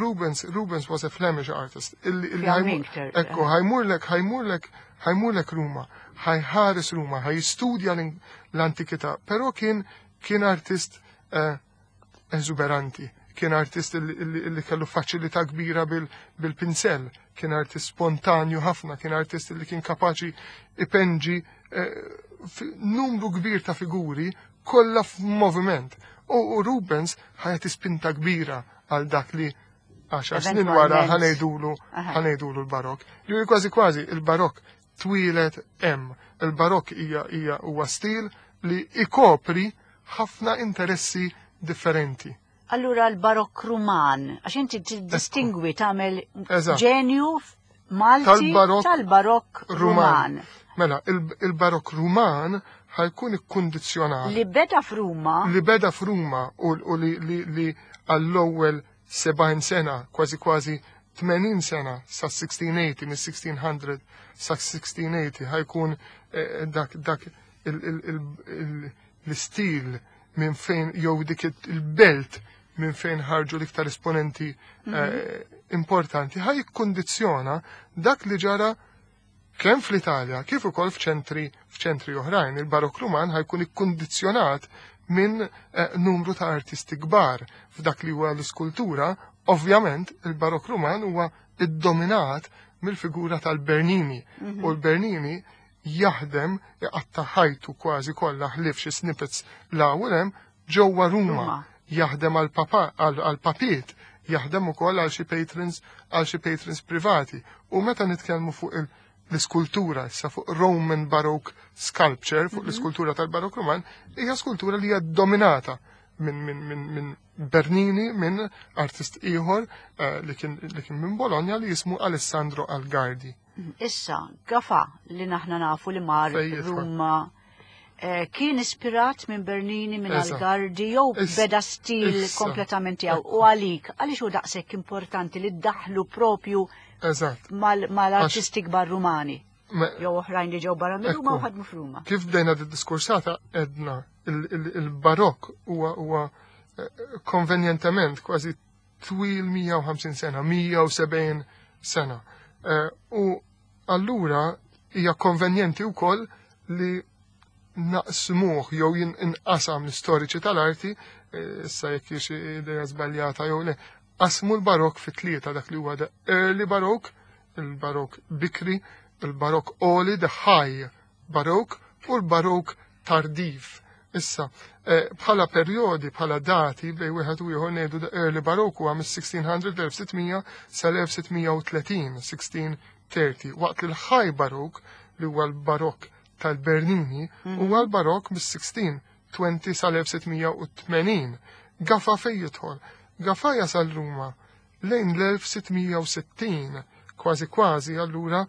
Rubens was a Flemish artist. Ekku, ħa jmurlek Ruma, ħa jħares Ruma, ħa jistudja l-antikità, però kien artist eżuberanti, kien artist li kellu faċilità kbira bil-pinsel, kien artist spontanju ħafna, kien artist li kien kapaċi ipenġi numru kbir ta' figuri kollha f'moviment. U Rubens ħa jagħti spinta kbira għal dak li 10 snin wara ħa ngħidulu l-Barok. Ġifieri kważi kważi il-Barok twieled hemm. Il-Barok hija huwa stil li ikopri ħafna interessi differenti. Allura l-Barok Ruman, għax inti distingwi tagħmel ġenju Malti tal-Barok Ruman. Mela, il-Barok Ruman ħa jkun ikkundizzjonat. Li beda f'Ruma. Li beda f'Ruma u li għall-ewwel 70 sena, kważi kważi 80 sena sa 1680, mis-1600 sa 1680 ħa jkun dak l-istil minn fejn jew dik il-belt minn fejn ħarġu l-iktar esponenti importanti ħa jikkundizzjona dak li ġara kemm fl-Italja kif ukoll f'ċentri oħrajn. Il-Barok Ruman ħa jkun ikkundizzjonat minn numru ta' artisti kbar f'dak li huwa l-iskultura. Ovvjament il-Barok Ruman huwa iddominat mill-figura tal-Bernini. U l-Bernini jaħdem iqatta' ħajtu kważi kollha ħlief xi snippets 'l hawn u 'l hemm ġewwa Ruma. Jaħdem għall-papiet, jaħdem ukoll għal xi patrons għal xi patrons privati. U meta nitkellmu fuq l-iskultura, issa fuq Roman Baroque sculpture, fuq l-iskultura tal-Barok Roman, hija skultura li hija dominata minn min, min, min Bernini, minn artist ieħor eh, li kien li kien minn Bologna li jismu Alessandro Algardi. Issa, Gafa li naħna nafu li mar Ruma eh, kien ispirat minn Bernini, minn Algardi, jew beda stil kompletament tiegħu. U għalik, għaliex hu daqshekk importanti li ddaħlu propju mal-artisti kbar Rumani? Jew oħrajn li ġew barra minn Ruma u ħadmu f'Ruma. Kif bdejna d-diskursata edna il-barokk huwa eh, konvenjentement kważi twil 150 sena, 170 sena. Eh, u allura hija konvenjenti wkoll li naqsmuh jew inqasam l-istoriċi tal-arti, eh, issa jekk hix idea żbaljata jew le, qasmu l-barok fi tlieta dak li huwa the early barok, il-barok bikri, il-barok oli, the high barok u l-barok tardiv. Issa, eh, bħala perjodi, bħala dati bej wieħed u ieħor ngħidu the early Baroque huwa mis-1600 1600 sal-1630, 1630, waqt li l-high Baroque li huwa l-Barok tal-Bernini mhm. huwa l-Barok mis-1620 sal-1680. Gafa fejn jidħol? Gafa jasal Ruma lejn l-1660, kważi kważi allura,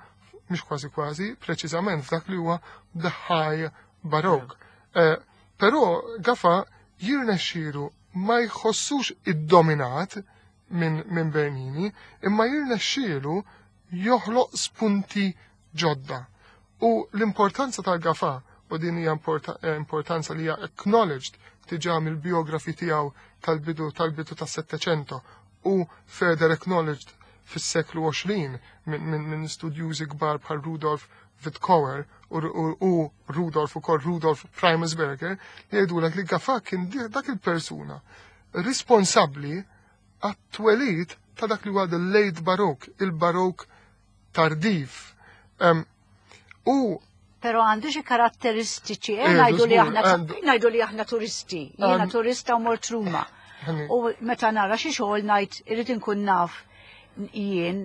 mhux kważi kważi, preċiżament f'dak li huwa the high Baroque. Eh, però Gafa jirnexxielu ma jħossux iddominat minn min Bernini, imma jirnexxielu joħloq spunti ġodda. U l-importanza tal-Gafa, u din hija eh, importanza li hija acknowledged diġà mill-biografi tiegħu tal-bidu tal-bidu tas-Settecento u further acknowledged fis-seklu 20 minn min, min studjużi kbar bħal Rudolf Wittkower u, u, u Rudolf ukoll Rudolf Primusberger li jgħidulek li Gafa kien dak il-persuna responsabbli għat-twelid ta' dak li huwa the late Baroque, il-Baroque tardiv. Um, u Pero għandu xi karatteristiċi, eh, ngħidu li aħna ngħidu li aħna turisti, jiena turista u mort Ruma. U meta nara xi xogħol ngħid irid inkun naf jien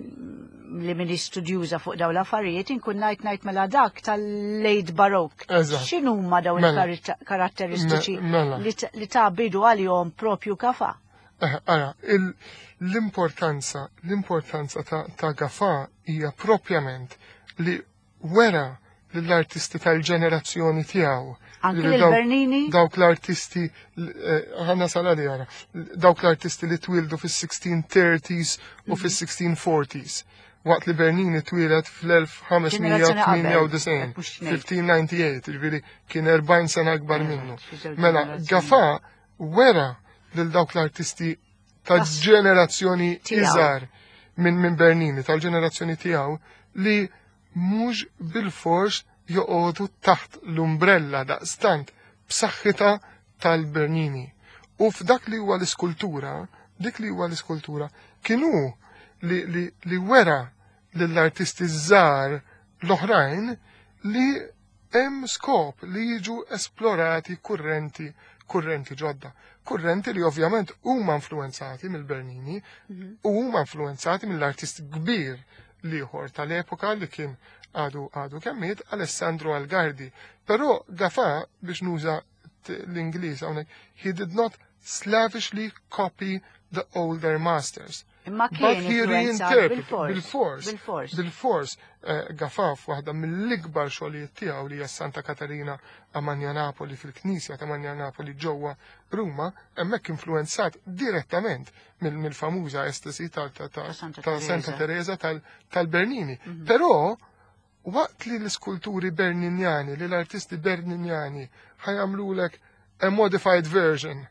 li min istudjuża fuq dawn l-affarijiet inkun ngħid ngħid mela dak tal-late Baroque. X'inhuma dawn mela. il-karatteristiċi mela. li ta' bidu għalihom propju kafa? Eh, ara, l-importanza, l-importanza ta' Gafa hija propjament li wera lill-artisti tal-ġenerazzjoni tiegħu. Anki l-Bernini? Dawk l-artisti, eh, ħanna sala li għara, dawk l-artisti li twildu fis-1630s u mhm. fis-1640s. Waqt li Bernini twieled fl-1598, 1598, ġifieri kien 40 sena akbar eh, minnu. Mela, Gafa wera lil dawk l-artisti ta' ġenerazzjoni iżgħar minn min Bernini, tal-ġenerazzjoni tiegħu li mhux bil-fors joqogħdu taħt l-umbrella daqstant b'saħħitha tal-Bernini. U f'dak li huwa l-iskultura, dik li huwa l-iskultura, kienu li, li, li wera lill-artisti żgħar l-oħrajn li Hemm skop li jiġu esplorati kurrenti kurrenti ġodda. Kurrenti li ovvjament huma influenzati mill-Bernini mhm. u huma influenzati mill-artist kbir liħor tal-epoka li kien għadu għadu kemmiet Alessandro Algardi. Però Gafa biex nuża l-Ingliż hawnhekk, he did not slavishly copy the older masters. Imma kien bil-fors. Bil-fors. Bil-fors. Eh, Gafaf, waħda mill-ikbar xogħlijiet tiegħu li hija Santa Katarina a Napoli fil-Knisja ta' Napoli ġewwa Ruma, hemmhekk influenzat direttament mill-famuża estasi ta' Santa Teresa tal-Bernini. Mhm. Però waqt li l-iskulturi Berninjani, li l-artisti Berninjani ħajamlulek a modified version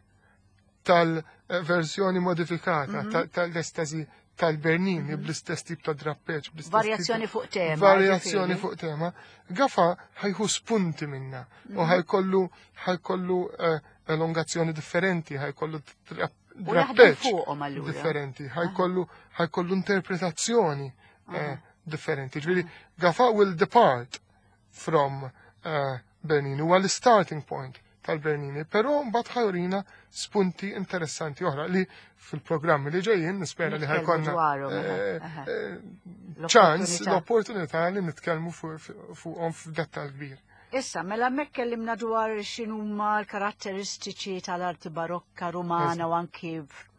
tal-verżjoni modifikata mhm. tal-estasi tal-Bernini mhm. bl-istess tip ta' drappeġ. Varjazzjoni fuq tema. Varjazzjoni fuq tema. Gafa ħajħu spunti minna u mhm. ħajkollu ħajkollu eh, elongazzjoni differenti, ħajkollu drappeġ differenti, ħajkollu ħajkollu interpretazzjoni eh, differenti. Ġifieri Gafa will depart. from Bernini, huwa l-starting point tal-Bernini, però mbagħad ħa jurina spunti interessanti oħra li fil-programmi li ġejjin nispera li Nitkellmu ħa jkollna dwarhom, eħe, eħe. ċans, L-opportunità. l-opportunità li nitkellmu fuqhom f'dettall kbir. Issa, mela hemmhekk kellimna dwar x'inhuma l-karatteristiċi tal-arti barokka rumana u anki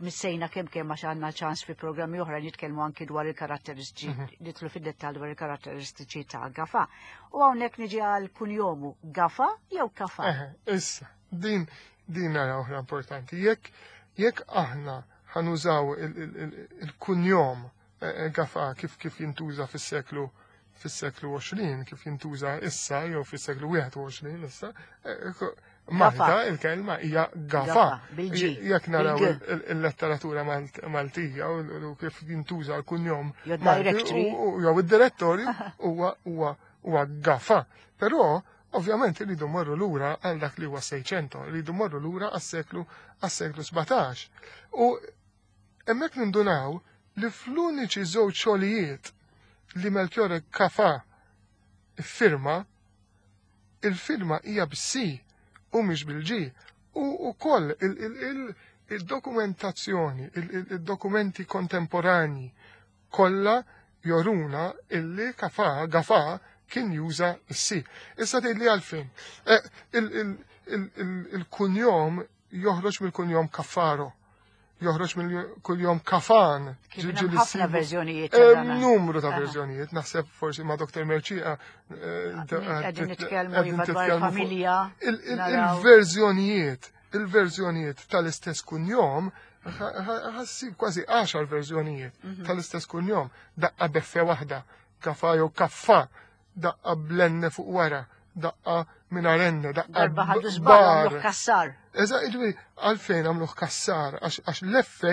missejna kemm kemm għax għandna ċans fi programmi oħra nitkellmu anki dwar il-karatteristiċi, nidħlu fid-dettall dwar il-karatteristiċi ta' Gafa. U hawnhekk niġi għal kunjomu Gafa jew Kafa? Eħe, issa, din nara oħra importanti. Jekk aħna ħa nużaw il-kunjom Gafa kif jintuża fis-seklu 20, kif jintuża issa jew fis-seklu 21 issa, Malta il-kelma hija Gafa. Gafa, bil-G, Jekk naraw bil-G. il-letteratura Maltija u kif jintuża l-kunjom Jew Malti directory. jew id-direttorju huwa Gafa. Però ovvjament irridu morru lura għal dak li huwa 600, irridu morru lura għas-seklu 17. U hemmhekk nindunaw li fl-uniċi żewġ xogħlijiet li Melchiorre Gafa firma, il-firma hija bis-C u mhix bil-G. U wkoll il-dokumentazzjoni, il-dokumenti kontemporani kollha joruna illi Gafa kien juża s-C. Issa tgħidli għalfejn. Il-kunjom joħroġ mill-kunjom Caffaro. Joħroġ mill-kunjom Kafan. Kif Ġi- hemm ġi li ħafna ssibu. verżjonijiet Hemm ta' dan. numru ta' Aha. verżjonijiet, naħseb forsi ma' Dr. Mercieca, Qegħdin nitkellmu qegħdin iva dwar titkellmu fuq familja. naraw. Il-verżjonijiet tal-istess kunjom ħa ssib kważi 10 verżjonijiet tal-istess kunjom. Daqqa b'F waħda, kafa jew kaffa, daqqa bl-N fuq wara, daqqa mingħajr N, daqqa Darba ħadu żball bar. għamluh kassar. Eża, ġifieri, għalfejn għamluh kassar, għax l-F,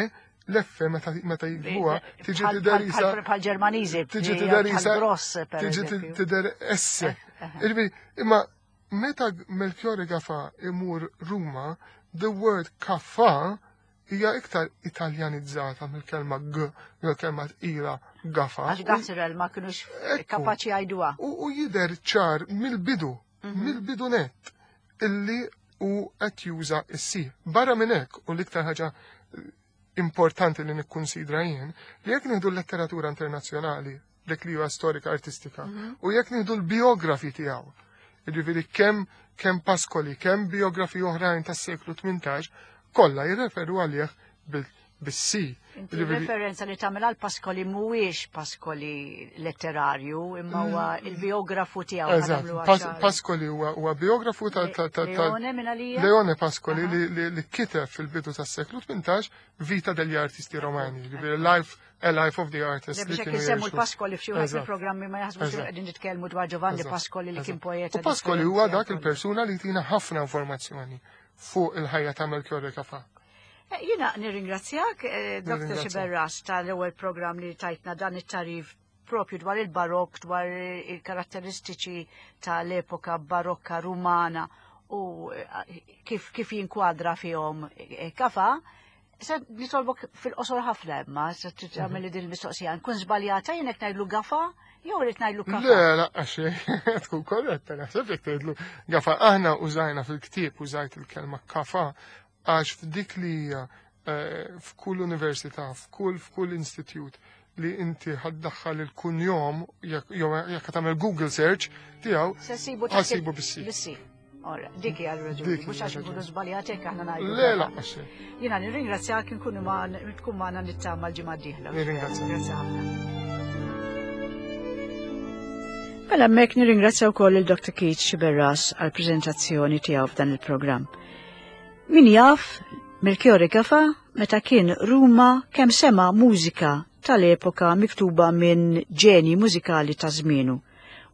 l-F meta jiktbuha, tiġi tidher isa Bħal Ġermaniżi, tiġi tidher isa gross, per tiġi eżempju. tidher S. Ġifieri, imma meta Melchiorre Gafa imur Ruma, the word kaffa hija iktar italjanizzata mill-kelma G, mill-kelma tqila Gafa. Għax Gazrel ma kienux Ekku. kapaċi jgħiduha. U jider ċar mill-bidu, mill-bidu net, illi u qed juża s-C. Barra minn hekk, u l-iktar ħaġa importanti li nikkunsidra jien, li jekk nieħdu l-letteratura internazzjonali, dik li huwa storika artistika, u jekk nieħdu l-biografi tiegħu, jiġifieri kemm Pascoli, kemm biografi oħrajn tas-seklu 18, kollha jirreferu għalih bis-C. Inti Jiġifieri- referenza li tagħmel għal Pascoli mhuwiex Pascoli letterarju, imma huwa il-biografu tiegħu. Eżatt, ħa nagħmluha ċara. Pascoli huwa biografu ta' Leone minn għalija? Leone Pascoli li kiteb fil-bidu tas-seklu 18 Vita degli Artisti Romani, jiġifieri Life, A Life of the Artist. Le li biex hekk kienu insemmu jgħixu. l-Pascoli f'xi wieħed mill-programmi ma jaħsbux li qegħdin nitkellmu dwar Giovanni Pascoli li kien poeta. U Pascoli huwa dak differenti. il-persuna li tina ħafna informazzjoni fuq il-ħajja ta' Melchiorre Gafa. Jiena nirringrazzjak, Dr. Nirringrazzjak. Sciberras, tal-ewwel programm li tajtna dan it-tarif propju dwar il-barok, dwar il-karatteristiċi tal-epoka barokka rumana u kif jinkwadra fihom Gafa. Se nitolbok fil-qosor ħafna imma, se tagħmel din il-mistoqsija. Nkun żbaljata jien hekk ngħidlu Gafa jew irid ngħidlu Kafa? Le, la, għax tkun korretta, naħseb jekk tgħidlu Gafa. Aħna użajna fil-ktieb, użajt il-kelma Kafa, għax f'dik li hija f'kull università, f'kull institut li inti ħa ddaħħal il-kunjom, jew jekk tagħmel Google search tiegħu, Se sibu ħa ssibu bis-C. Bis-C. Ora, dik hija r-raġuni, Dik mhux hija għax r-raġuni. nkunu żbaljati hekk aħna ngħidu. Le, Gafa. la, għax. Jiena nirringrazzjak nkunu ma tkun magħna nittama l-ġimgħa d-dieħla. Nirringrazzjak. Grazzi ħafna. Mela hemmhekk nirringrazzja wkoll il-Dr. Keith Sciberras għall-preżentazzjoni tiegħu f'dan il-programm. Min jaf Melchiorre Gafa meta kien Ruma kemm sema mużika tal-epoka miktuba minn ġeni mużikali ta' żmienu.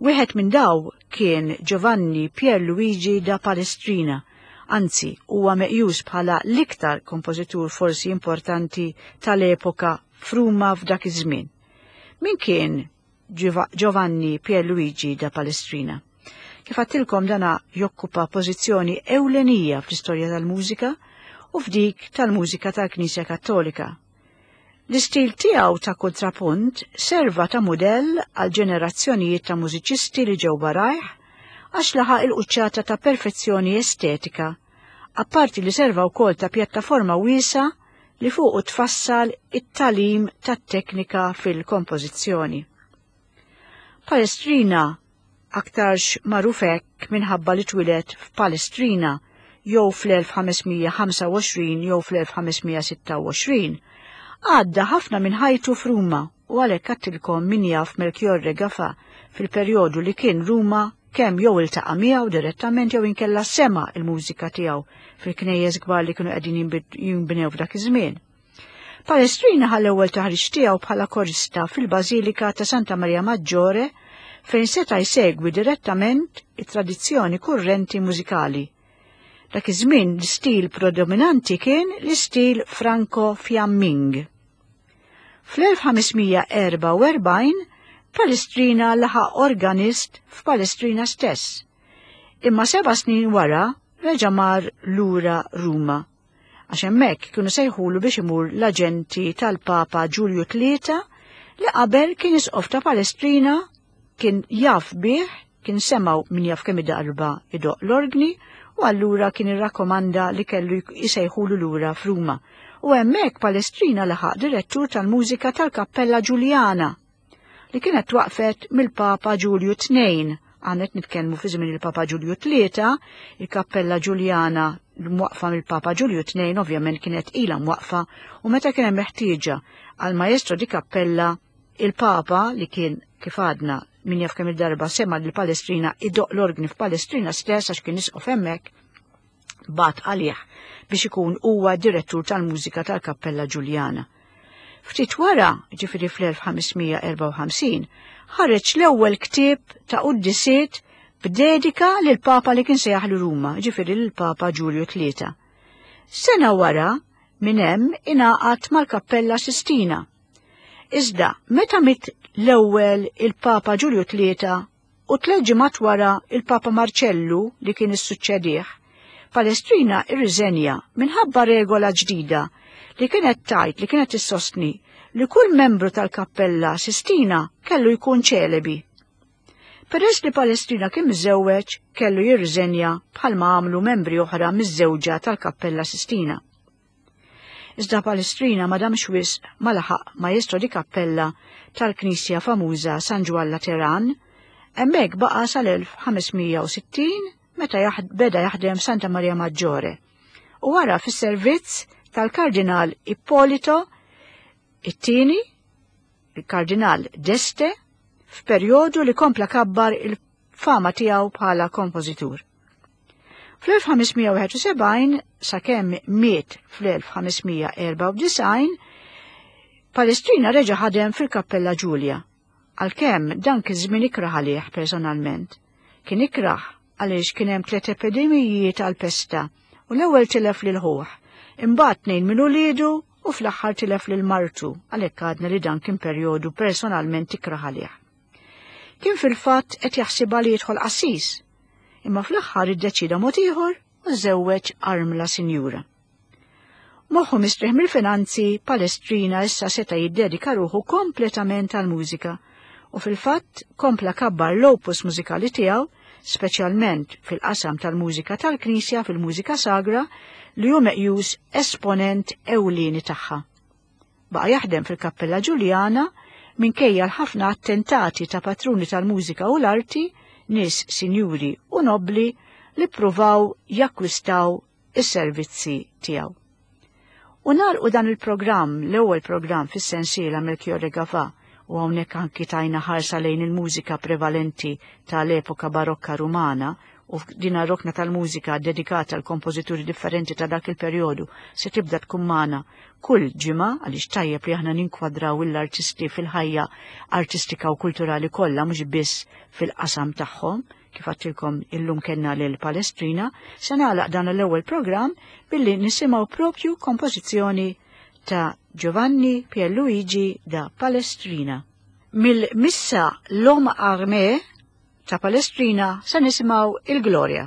Wieħed minn daw kien Giovanni Pierluigi da Palestrina, anzi huwa meqjus bħala l-iktar kompożitur forsi importanti tal-epoka f'Ruma f'dak iż-żmien. Min kien Giovanni Pierluigi da Palestrina? Kif għedtilkom dana jokkupa pożizzjoni ewlenija fl-istorja tal-mużika u f'dik tal-mużika tal-Knisja Kattolika. L-istil tiegħu ta' kontrapunt serva ta' mudell għal ġenerazzjonijiet ta' mużiċisti li ġew warajh. għax laħaq il-quċċata ta' perfezzjoni estetika, apparti li serva wkoll ta' pjattaforma wiesgħa li fuqu tfassal it-tagħlim tat-teknika fil-kompożizzjoni. Palestrina aktarx magħruf hekk minħabba li twieled f'Palestrina jew fl-1525 jew fl-1526, għadda ħafna minn ħajtu f'Ruma u għalhekk għattilkom min jaf Melchiorre Gafà fil-perjodu li kien Ruma kemm jew iltaqa' miegħu direttament jew inkella sema' il-mużika tiegħu fil-knejjes kbar li kienu qegħdin jinbnew f'dak iż-żmien. Palestrina ħa l-ewwel taħriġ tiegħu bħala korista fil-Bażilika ta' Santa Maria Maggiore fejn seta' jsegwi direttament it-tradizzjoni kurrenti mużikali. Dak iż-żmien l-istil predominanti kien l-istil Franco-Fjamming. Fl-1544 Palestrina laħaq organist f'Palestrina stess. Imma seba' snin wara reġa' mar lura Ruma għax hemmhekk kienu sejħulu biex imur l-aġenti tal-Papa Ġulju Tlieta li qabel kien isqof ta' Palestrina kien jaf bih, kien semgħu min jaf kemm darba idoq l-orgni u allura kien irrakkomanda li kellu jsejħulu lura f'Ruma. U hemmhekk Palestrina laħaq direttur tal-mużika tal-Kappella Ġuljana li kienet twaqfet mill-Papa Ġulju II, għanet nitkellmu fi żmien il-Papa Ġulju III, il-Kappella Ġuljana mwaqfa mill-Papa Ġulju II ovvjament kienet ilha mwaqfa u meta kien hemm meħtieġa għal maestro di kappella il-Papa li kien kif għadna min jaf kemm il-darba sema lil Palestrina idoq l-orgni f'Palestrina stess għax kien isqof hemmhekk bagħat għalih biex ikun huwa direttur tal-mużika tal-Kappella Ġuljana. Ftit wara, ġifieri fl-1554, ħareġ l-ewwel ktieb ta' quddisiet b'dedika lil Papa li kien sejjaħ Ruma, ġifieri lil Papa Ġulju Tlieta. Sena wara, minn hemm ingħaqad mal-Kappella Sistina. Iżda, meta mit l-ewwel il-Papa Ġulju Tlieta u tliet ġimgħat wara il-Papa Marċellu li kien issuċċedih, Palestrina irriżenja minħabba regola ġdida li kienet tgħid li kienet issostni li kull membru tal-Kappella Sistina kellu jkun ċelebi. Peress li Palestrina kien miżżewweġ, kellu jirriżenja bħalma għamlu membri oħra miżżewġa tal-Kappella Sistina. Iżda Palestrina ma damx wisq ma laħaq maestro di cappella tal-knisja famuża San Ġwann Lateran, hemmhekk baqa' sal-1560 meta beda jaħdem Santa Maria Maggiore u wara fis-servizz tal-Kardinal Ippolito it-tieni, il-Kardinal d'Este, f'perjodu li kompla kabbar il-fama tiegħu bħala kompożitur. Fl-1571 sakemm miet fl-1594, Palestrina reġa' ħadem fil-Kappella Ġulja, għalkemm dan kien żmien ikrah għalih personalment. Kien ikrah għaliex kien hemm tliet epidemiji tal-pesta u l-ewwel tilef lil ħuh, imbagħad tnejn minn uliedu u fl-aħħar tilef lil martu, għalhekk għadna li dan kien perjodu personalment ikrah għalih. Kien fil-fatt qed jaħsibha li jidħol qassis, imma fl-aħħar iddeċida mod ieħor u żewweġ armla sinjura. Moħħu mistrieħ mill-finanzi, Palestrina issa seta' jiddedika ruħu kompletament għall-mużika u fil-fatt kompla kabbar l-opus mużikali tiegħu, speċjalment fil-qasam tal-mużika tal-Knisja fil-mużika sagra li hu meqjus esponent ewlieni tagħha. Baqa' jaħdem fil-Kappella Ġuljana minkejja l-ħafna attentati ta' patruni tal-mużika u l-arti, nies sinjuri u nobbli li ppruvaw jakkwistaw is-servizzi tiegħu. U nagħlqu dan il-programm, l-ewwel programm fis-sensiela Melchiorre Gafà, u hawnhekk anki tajna ħarsa lejn il-mużika prevalenti tal-epoka barokka Rumana u f'din rokna tal-mużika dedikata għal kompożituri differenti ta' dak il-perjodu se tibda tkun magħna kull ġimgħa għaliex tajjeb li aħna ninkwadraw l-artisti fil-ħajja artistika u kulturali kollha mhux biss fil-qasam tagħhom kif għattilkom illum kellna lil Palestrina, se nagħlaq dan l-ewwel programm billi nisimgħu propju kompożizzjoni ta' Giovanni Pierluigi da Palestrina. Mill-missa L'Homme Armé ta' Palestrina se nisimgħu il-Gloria.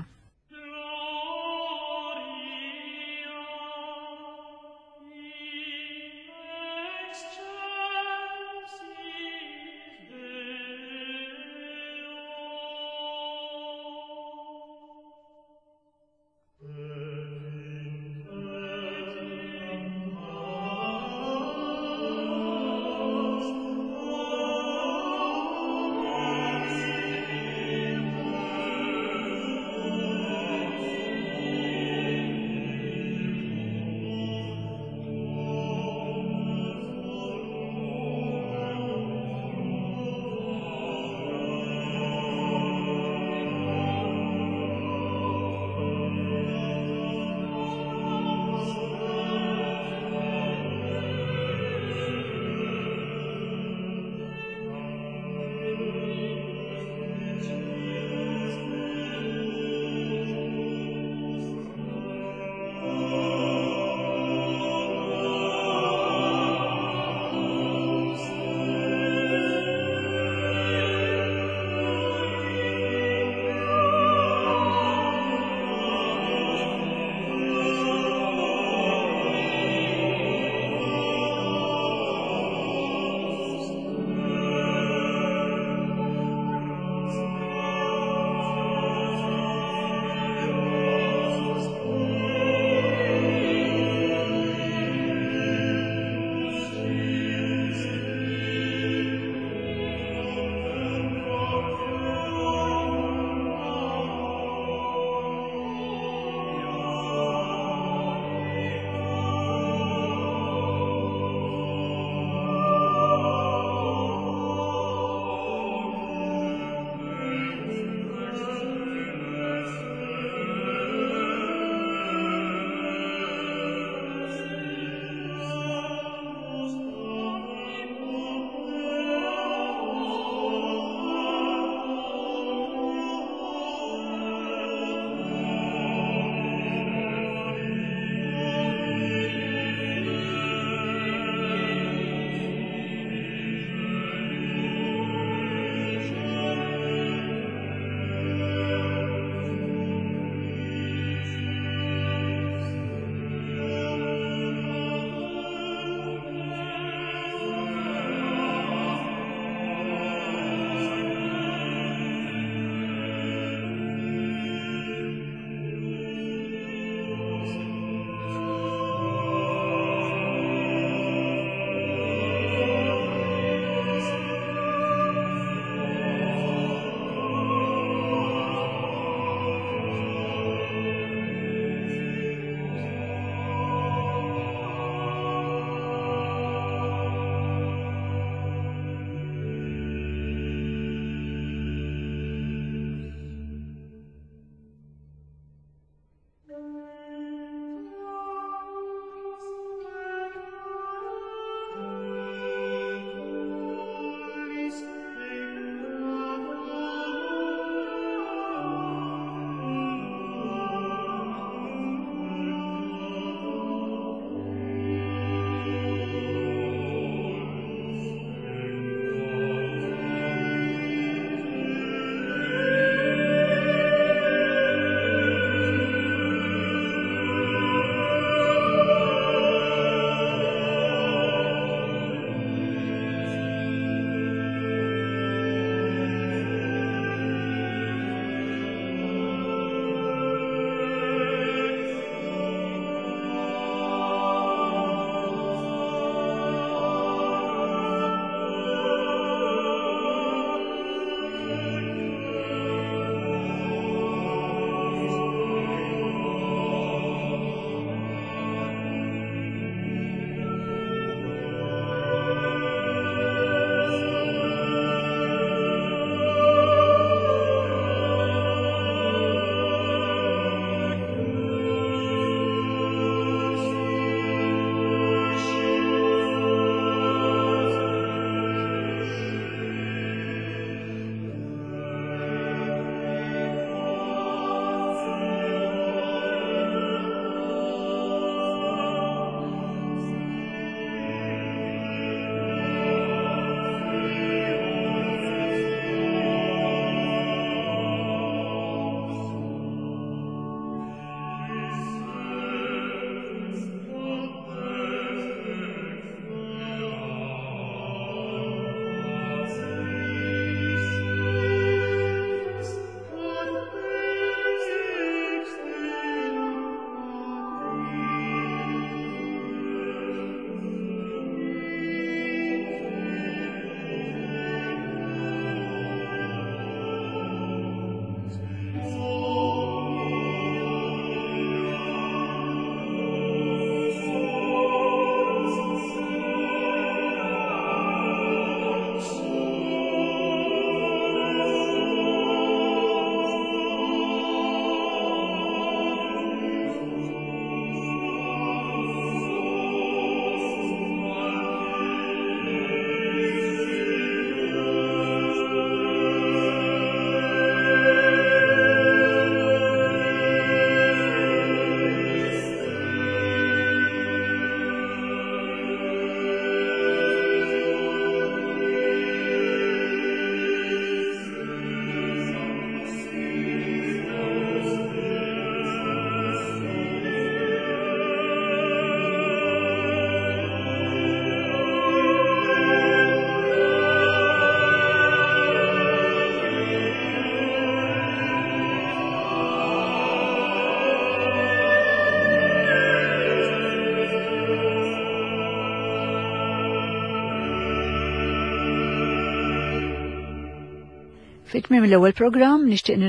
Fi tmiem l-ewwel programm nixtieq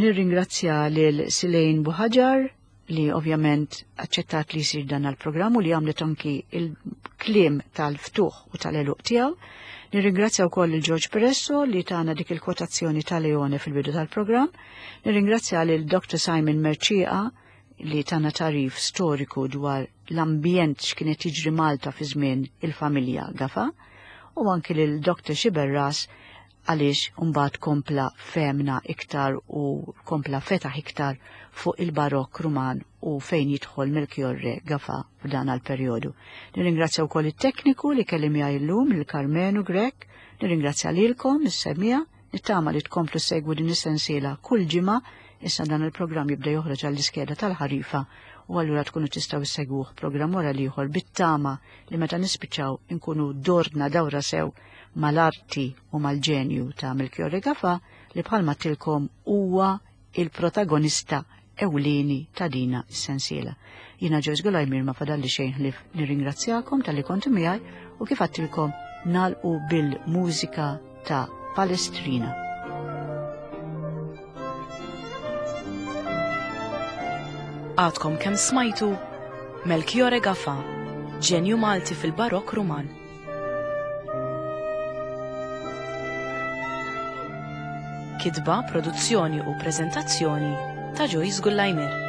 nirringrazzja lil Silejn Buħaġar li ovvjament aċċettat li jsir dan għal-programm u li għamlet anki il-kliem tal-ftuħ u tal-eluq tiegħu. Nirringrazzja wkoll il George Peresso li tana dik il-kwotazzjoni ta' Leone fil-bidu tal-programm. Nirringrazzja lil Dr. Simon Merċieqa li tana tarif storiku dwar l-ambjent x'kienet jiġri Malta fi żmien il-familja Gafa u anki lil Dr. Xiberras għaliex mbagħad kompla fehmna iktar u kompla fetaħ iktar fuq il-Barokk Ruman u fejn jidħol Melchiorre Gafà f'dan għall-perjodu. Nirringrazzja wkoll it-tekniku li kelli miegħi llum, lil Karmenu Grech, nirringrazzja lilkom is-semmiegħa, nittama li tkomplu ssegwu din is-sensiela kull ġimgħa, issa dan il-programm jibda joħroġ għall-iskeda tal-ħarifa u allura tkunu tistgħu ssegwuh programm wara l-ieħor bit-tama li meta nispiċċaw inkunu dorna dawra sew mal-arti u mal-ġenju ta' Melchiorre Gafà li bħalma għedtilkom huwa il-protagonista ewlieni ta' dina s-sensiela. Jiena Joyce Gulajmir ma fadalli xejn ħlief nirringrazzjakom talli kontu miegħi u kif għedtilkom nagħlqu bil-mużika ta' Palestrina. Għadkom kemm smajtu Melchiorre Gafà, ġenju Malti fil-Barokk Ruman. Kitba, produzzjoni u preżentazzjoni ta' Joyce Gullajmir.